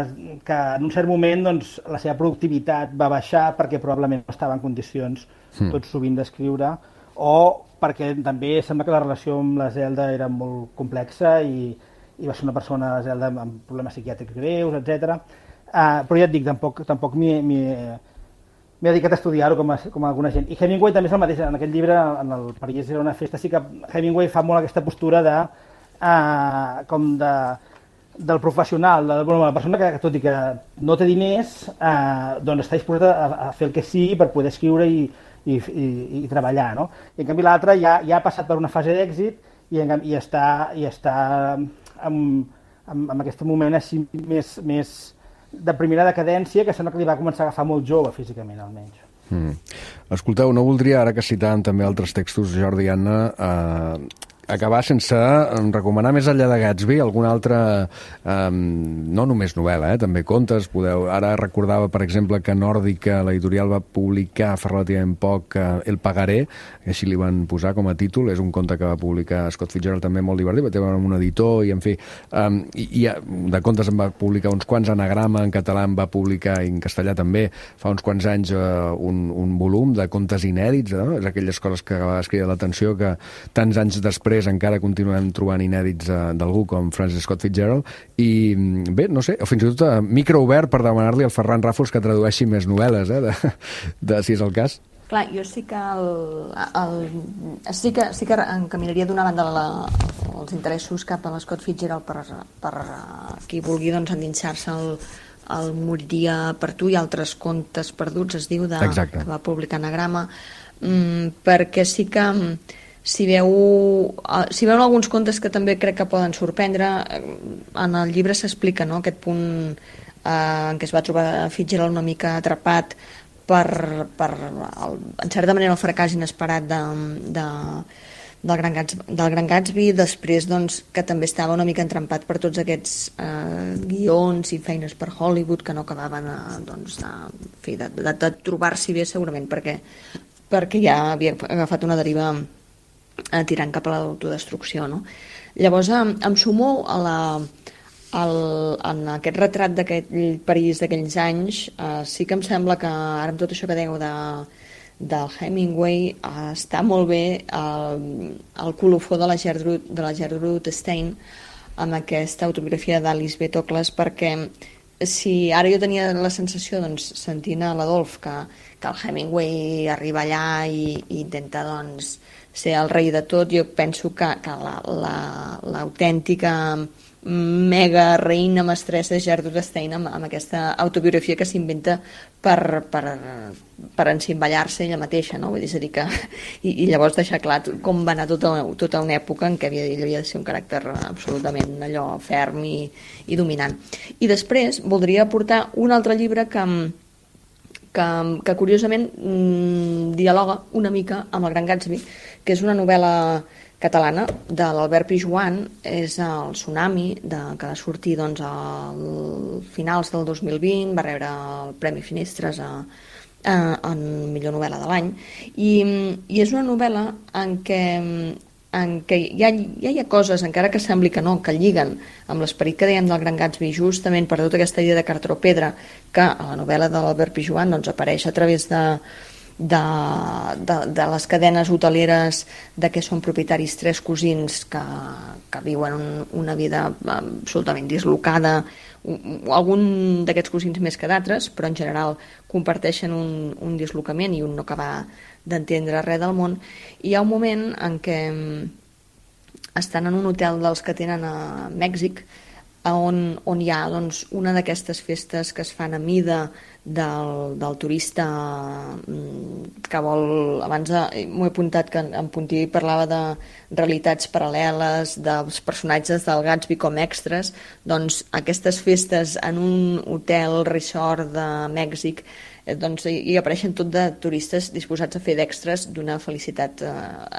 Speaker 4: que en un cert moment doncs, la seva productivitat va baixar perquè probablement no estava en condicions mm. tot sovint d'escriure, o perquè també sembla que la relació amb la Zelda era molt complexa i, i va ser una persona, la Zelda, amb problemes psiquiàtrics greus, etcètera. Uh, però ja et dic, tampoc, tampoc m'hi m'he dedicat a estudiar-ho com, a, com a alguna gent. I Hemingway també és el mateix, en aquest llibre, en el París era una festa, sí que Hemingway fa molt aquesta postura de, uh, com de, del professional, de, bueno, la persona que, tot i que no té diners, uh, doncs està disposada a, a fer el que sigui per poder escriure i, i, i, i treballar, no? I en canvi l'altre ja, ja ha passat per una fase d'èxit i, en, i està, i està en, en, en aquest moment així més... més de primera decadència, que sembla que li va començar a agafar molt jove, físicament, almenys.
Speaker 1: Mm. Escolteu, no voldria, ara que citàvem també altres textos, Jordi i Anna, eh, acabar sense recomanar més enllà de Gatsby alguna altra, eh, no només novel·la, eh, també contes, podeu... Ara recordava, per exemple, que Nòrdica, l'editorial va publicar fa relativament poc eh, El pagaré, així li van posar com a títol, és un conte que va publicar Scott Fitzgerald, també molt divertit, va tenir un editor, i en fi, eh, i, i de contes en va publicar uns quants, Anagrama en català en va publicar, i en castellà també, fa uns quants anys, eh, un, un volum de contes inèdits, no? És aquelles coses que va escriure l'atenció que tants anys després encara continuem trobant inèdits uh, d'algú com Francis Scott Fitzgerald, i bé, no sé, o fins i tot uh, microobert per demanar-li al Ferran Ràfols que tradueixi més novel·les, eh, de, de, si és el cas.
Speaker 5: Clar, jo sí que, el, el, sí que, sí que encaminaria d'una banda la, els interessos cap a l'Scott Fitzgerald per, per uh, qui vulgui doncs, endinsar-se el, el Moriria per tu i altres contes perduts, es diu, de, que va publicar Anagrama, mm, perquè sí que si veu, si veuen alguns contes que també crec que poden sorprendre, en el llibre s'explica, no?, aquest punt eh, en què es va trobar Fitzgerald una mica atrapat per, per el, en certa manera, el fracàs inesperat de, de, del, Gran Gatsby, del Gran Gatsby, després doncs, que també estava una mica entrampat per tots aquests eh, guions i feines per Hollywood que no acabaven de, doncs, de, de, de, de trobar-s'hi bé segurament perquè, perquè ja havia agafat una deriva tirant cap a l'autodestrucció, no? Llavors em, em sumo a la, al, en aquest retrat d'aquell París d'aquells anys. Eh, sí que em sembla que ara amb tot això que dèieu de, del Hemingway eh, està molt bé el, el colofó de la Gertrude, de la Gertrude Stein amb aquesta autobiografia d'Alice B. Toklas, perquè si ara jo tenia la sensació, doncs, sentint a l'Adolf que, que el Hemingway arriba allà i, i intenta, doncs, ser el rei de tot, jo penso que, que l'autèntica la, la mega reina mestressa Gertrude Stein amb, amb aquesta autobiografia que s'inventa per, per, per encimballar-se ella mateixa, no? Vull dir, és a dir que, i, i llavors deixar clar com va anar tota, tota una època en què havia, ell havia de ser un caràcter absolutament allò ferm i, i dominant. I després voldria aportar un altre llibre que que, que curiosament mmm, dialoga una mica amb el Gran Gatsby, que és una novel·la catalana de l'Albert Pijuan, és el Tsunami, de, que va sortir doncs, a finals del dos mil vint, va rebre el Premi Finestres a, a, en millor novel·la de l'any, i, i és una novel·la en què, en què hi, ha, ja hi ha coses, encara que sembli que no, que lliguen amb l'esperit que dèiem del Gran Gatsby, justament per tota aquesta idea de cartró pedra, que a la novel·la de l'Albert Pijuan doncs, apareix a través de De, de, de les cadenes hoteleres de què són propietaris tres cosins que, que viuen un, una vida absolutament dislocada, algun d'aquests cosins més que d'altres, però en general comparteixen un, un dislocament i un no acabar d'entendre res del món. I hi ha un moment en què estan en un hotel dels que tenen a Mèxic, on, on hi ha doncs, una d'aquestes festes que es fan a mida del, del turista que vol, abans m'ho he apuntat que en Puntí parlava de realitats paral·leles, dels personatges del Gatsby com extras, doncs aquestes festes en un hotel resort de Mèxic, doncs hi apareixen tot de turistes disposats a fer d'extras d'una felicitat eh,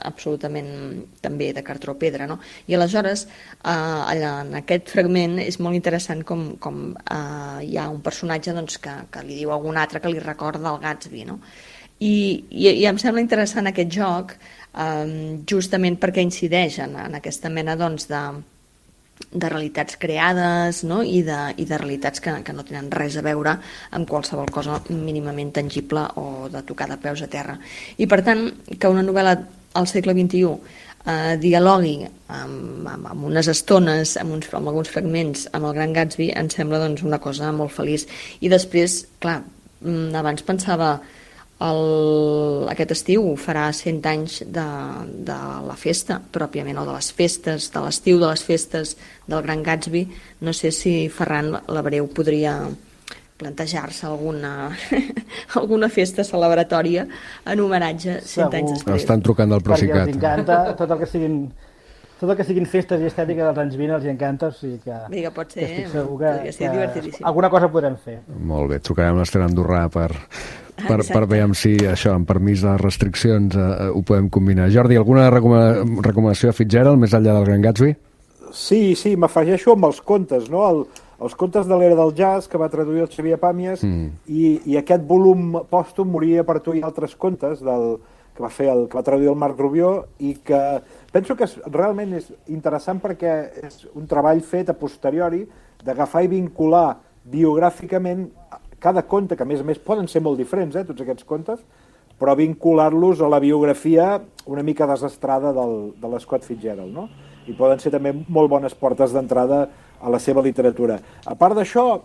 Speaker 5: absolutament també de cartró pedra, no? I aleshores eh, allà, en aquest fragment és molt interessant com, com eh, hi ha un personatge doncs, que, que li diu a algun altre que li recorda el Gatsby, no? I, i, i em sembla interessant aquest joc eh, justament perquè incideix en, en aquesta mena doncs, de de realitats creades, no? I, de, i de realitats que, que no tenen res a veure amb qualsevol cosa mínimament tangible o de tocar de peus a terra. I per tant, que una novel·la al segle vint-i-u eh, dialogui amb, amb, amb unes estones, amb, uns, amb alguns fragments, amb el Gran Gatsby, em sembla doncs, una cosa molt feliç. I després, clar, abans pensava el, aquest estiu farà cent anys de, de la festa, pròpiament, o de les festes, de l'estiu de les festes del Gran Gatsby. No sé si Ferran Labreu podria plantejar-se alguna, alguna festa celebratòria en homenatge cent anys després.
Speaker 1: Estan trucant del Procicat.
Speaker 4: Perquè els encanta tot el que siguin... Tot el que siguin festes i estètica dels anys vint els encanta, o sigui que...
Speaker 5: Vinga, pot ser,
Speaker 4: que estic segur que,
Speaker 5: podria ser
Speaker 4: que
Speaker 5: divertidíssim.
Speaker 4: Alguna cosa podrem fer.
Speaker 1: Molt bé, trucarem l'Ester Andorrà per, per, per veure si això, amb permís de les restriccions, eh, ho podem combinar. Jordi, alguna recomana, recomanació a Fitzgerald, més enllà del Gran Gatsby?
Speaker 6: Sí, sí, m'afegeixo amb els contes, no? El, els contes de l'era del jazz, que va traduir el Xavier Pàmies, mm. i, i aquest volum pòstum, Moria per tu i altres contes, del, que va fer el, que va traduir el Marc Rubió, i que penso que és, realment és interessant perquè és un treball fet a posteriori d'agafar i vincular biogràficament cada conte, que a més a més poden ser molt diferents, eh, tots aquests contes, però vincular-los a la biografia una mica desastrada del, de l'Scott Fitzgerald, no? I poden ser també molt bones portes d'entrada a la seva literatura. A part d'això,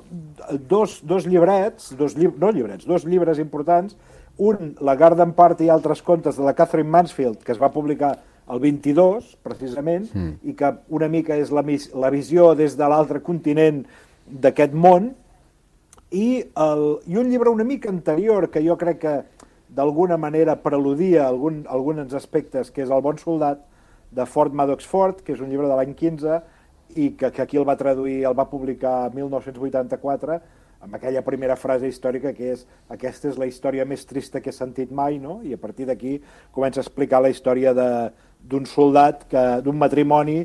Speaker 6: dos, dos llibrets, dos lli no llibrets, dos llibres importants, un, La Garden Party i altres contes, de la Catherine Mansfield, que es va publicar el vint-i-dos, precisament, mm. i que una mica és la, la visió des de l'altre continent d'aquest món, i, el, i un llibre una mica anterior, que jo crec que d'alguna manera preludia algun, alguns aspectes, que és El bon soldat, de Ford Madox Ford, que és un llibre de l'any quinze, i que, que aquí el va traduir, el va publicar mil nou-cents vuitanta-quatre, amb aquella primera frase històrica que és aquesta és la història més trista que he sentit mai, no? I a partir d'aquí comença a explicar la història d'un soldat, d'un matrimoni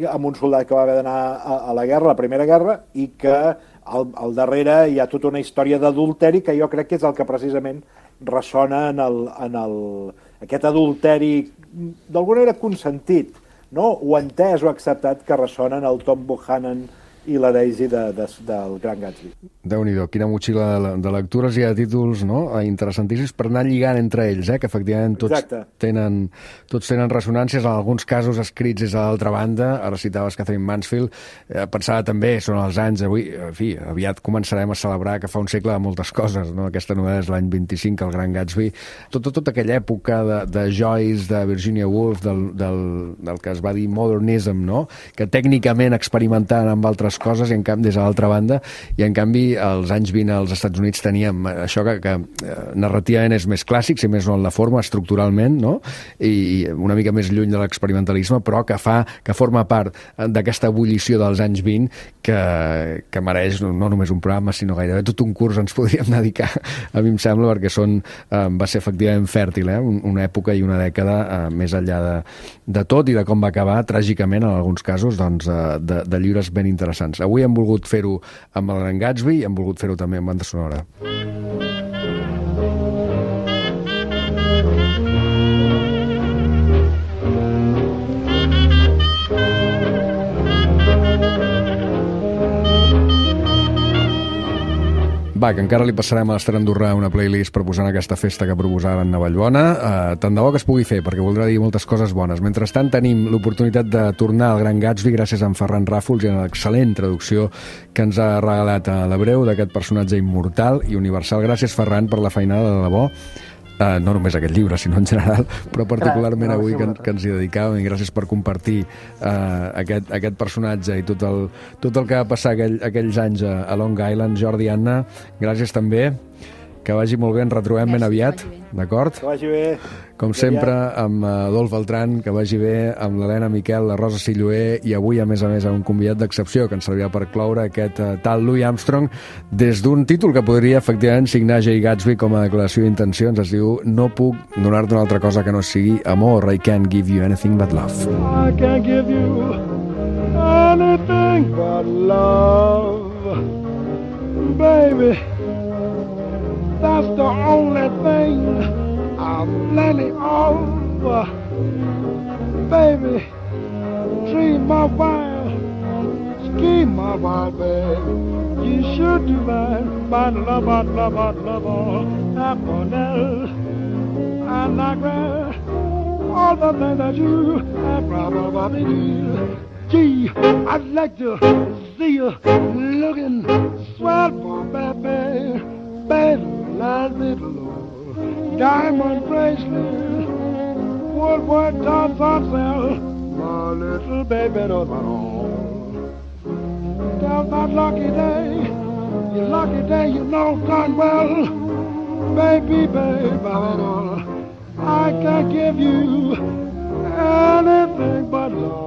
Speaker 6: amb un soldat que va haver d'anar a, a la guerra, a la Primera Guerra, i que al, al darrere hi ha tota una història d'adulteri que jo crec que és el que precisament ressona en, el, en el, aquest adulteri d'alguna manera consentit, no? O entès o acceptat, que ressona en el Tom Buchanan i la Daisy de, de, del Gran Gatsby.
Speaker 1: Déu-n'hi-do, quina motxilla de, de lectures i de títols, no? Interessantíssims per anar lligant entre ells, eh? Que efectivament tots tenen, tots tenen ressonàncies, en alguns casos escrits des de l'altra banda. Ara citaves Catherine Mansfield, eh, pensava també, són els anys, avui, en fi, aviat començarem a celebrar que fa un segle de moltes coses, no? Aquesta novel·la és l'any vint-i-cinc, el Gran Gatsby, tota tot, tot aquella època de, de Joyce, de Virginia Woolf, del, del, del que es va dir modernism, no? Que tècnicament experimentaven amb altres coses, i en canvi, des de l'altra banda, i en canvi als anys vint als Estats Units teníem això que, que eh, narrativament és més clàssic, si més no en la forma, estructuralment, no? I una mica més lluny de l'experimentalisme, però que fa, que forma part d'aquesta ebullició dels anys vint que, que mereix no només un programa, sinó gairebé tot un curs ens podríem dedicar, a mi em sembla, perquè són, eh, va ser efectivament fèrtil, eh? Una època i una dècada eh, més enllà de, de tot i de com va acabar, tràgicament, en alguns casos, doncs, eh, de, de llibres ben interessants. Avui hem volgut fer-ho amb el Gran Gatsby i hem volgut fer-ho també amb banda sonora. Va, que encara li passarem a l'Ester Andorrà una playlist per posar en aquesta festa que proposaren a Vallbona. Uh, tant de bo que es pugui fer, perquè voldrà dir moltes coses bones. Mentrestant, tenim l'oportunitat de tornar al Gran Gatsby gràcies a en Ferran Ràfols i a l'excel·lent traducció que ens ha regalat a l'hebreu d'aquest personatge immortal i universal. Gràcies, Ferran, per la feinada de debò. Uh, no només aquest llibre, sinó en general, però particularment Clar, avui que, que ens hi dedicàvem, i gràcies per compartir uh, aquest, aquest personatge i tot el, tot el que va passar aquell, aquells anys a, a Long Island. Jordi, Anna, gràcies també. Que vagi molt bé, ens retrobem ben aviat, d'acord?
Speaker 6: Que vagi bé.
Speaker 1: Com sempre, amb Adolf Beltran, que vagi bé, amb l'Helena Miquel, la Rosa Silloé, i avui, a més a més, amb un convidat d'excepció que ens servirà per cloure aquest uh, tal Louis Armstrong, des d'un títol que podria, efectivament, signar Jay Gatsby com a declaració d'intencions. Es diu No puc donar-te una altra cosa que no sigui amor. I can't give you anything but love.
Speaker 13: I can't give you anything but love, baby. That's the only thing I'm plenty of, baby. Dream my wild, scheme my wild, baby. You should do mine, mine love, love, love, love, Aponel and Niagara. all the things that you have probably do. Gee, I'd like to see you looking swell for baby, baby, little diamond bracelet, Woodward Johnson sell, my little baby don't know. Tell that lucky day, your lucky day, you know darn well, baby, baby, I can't give you anything but love.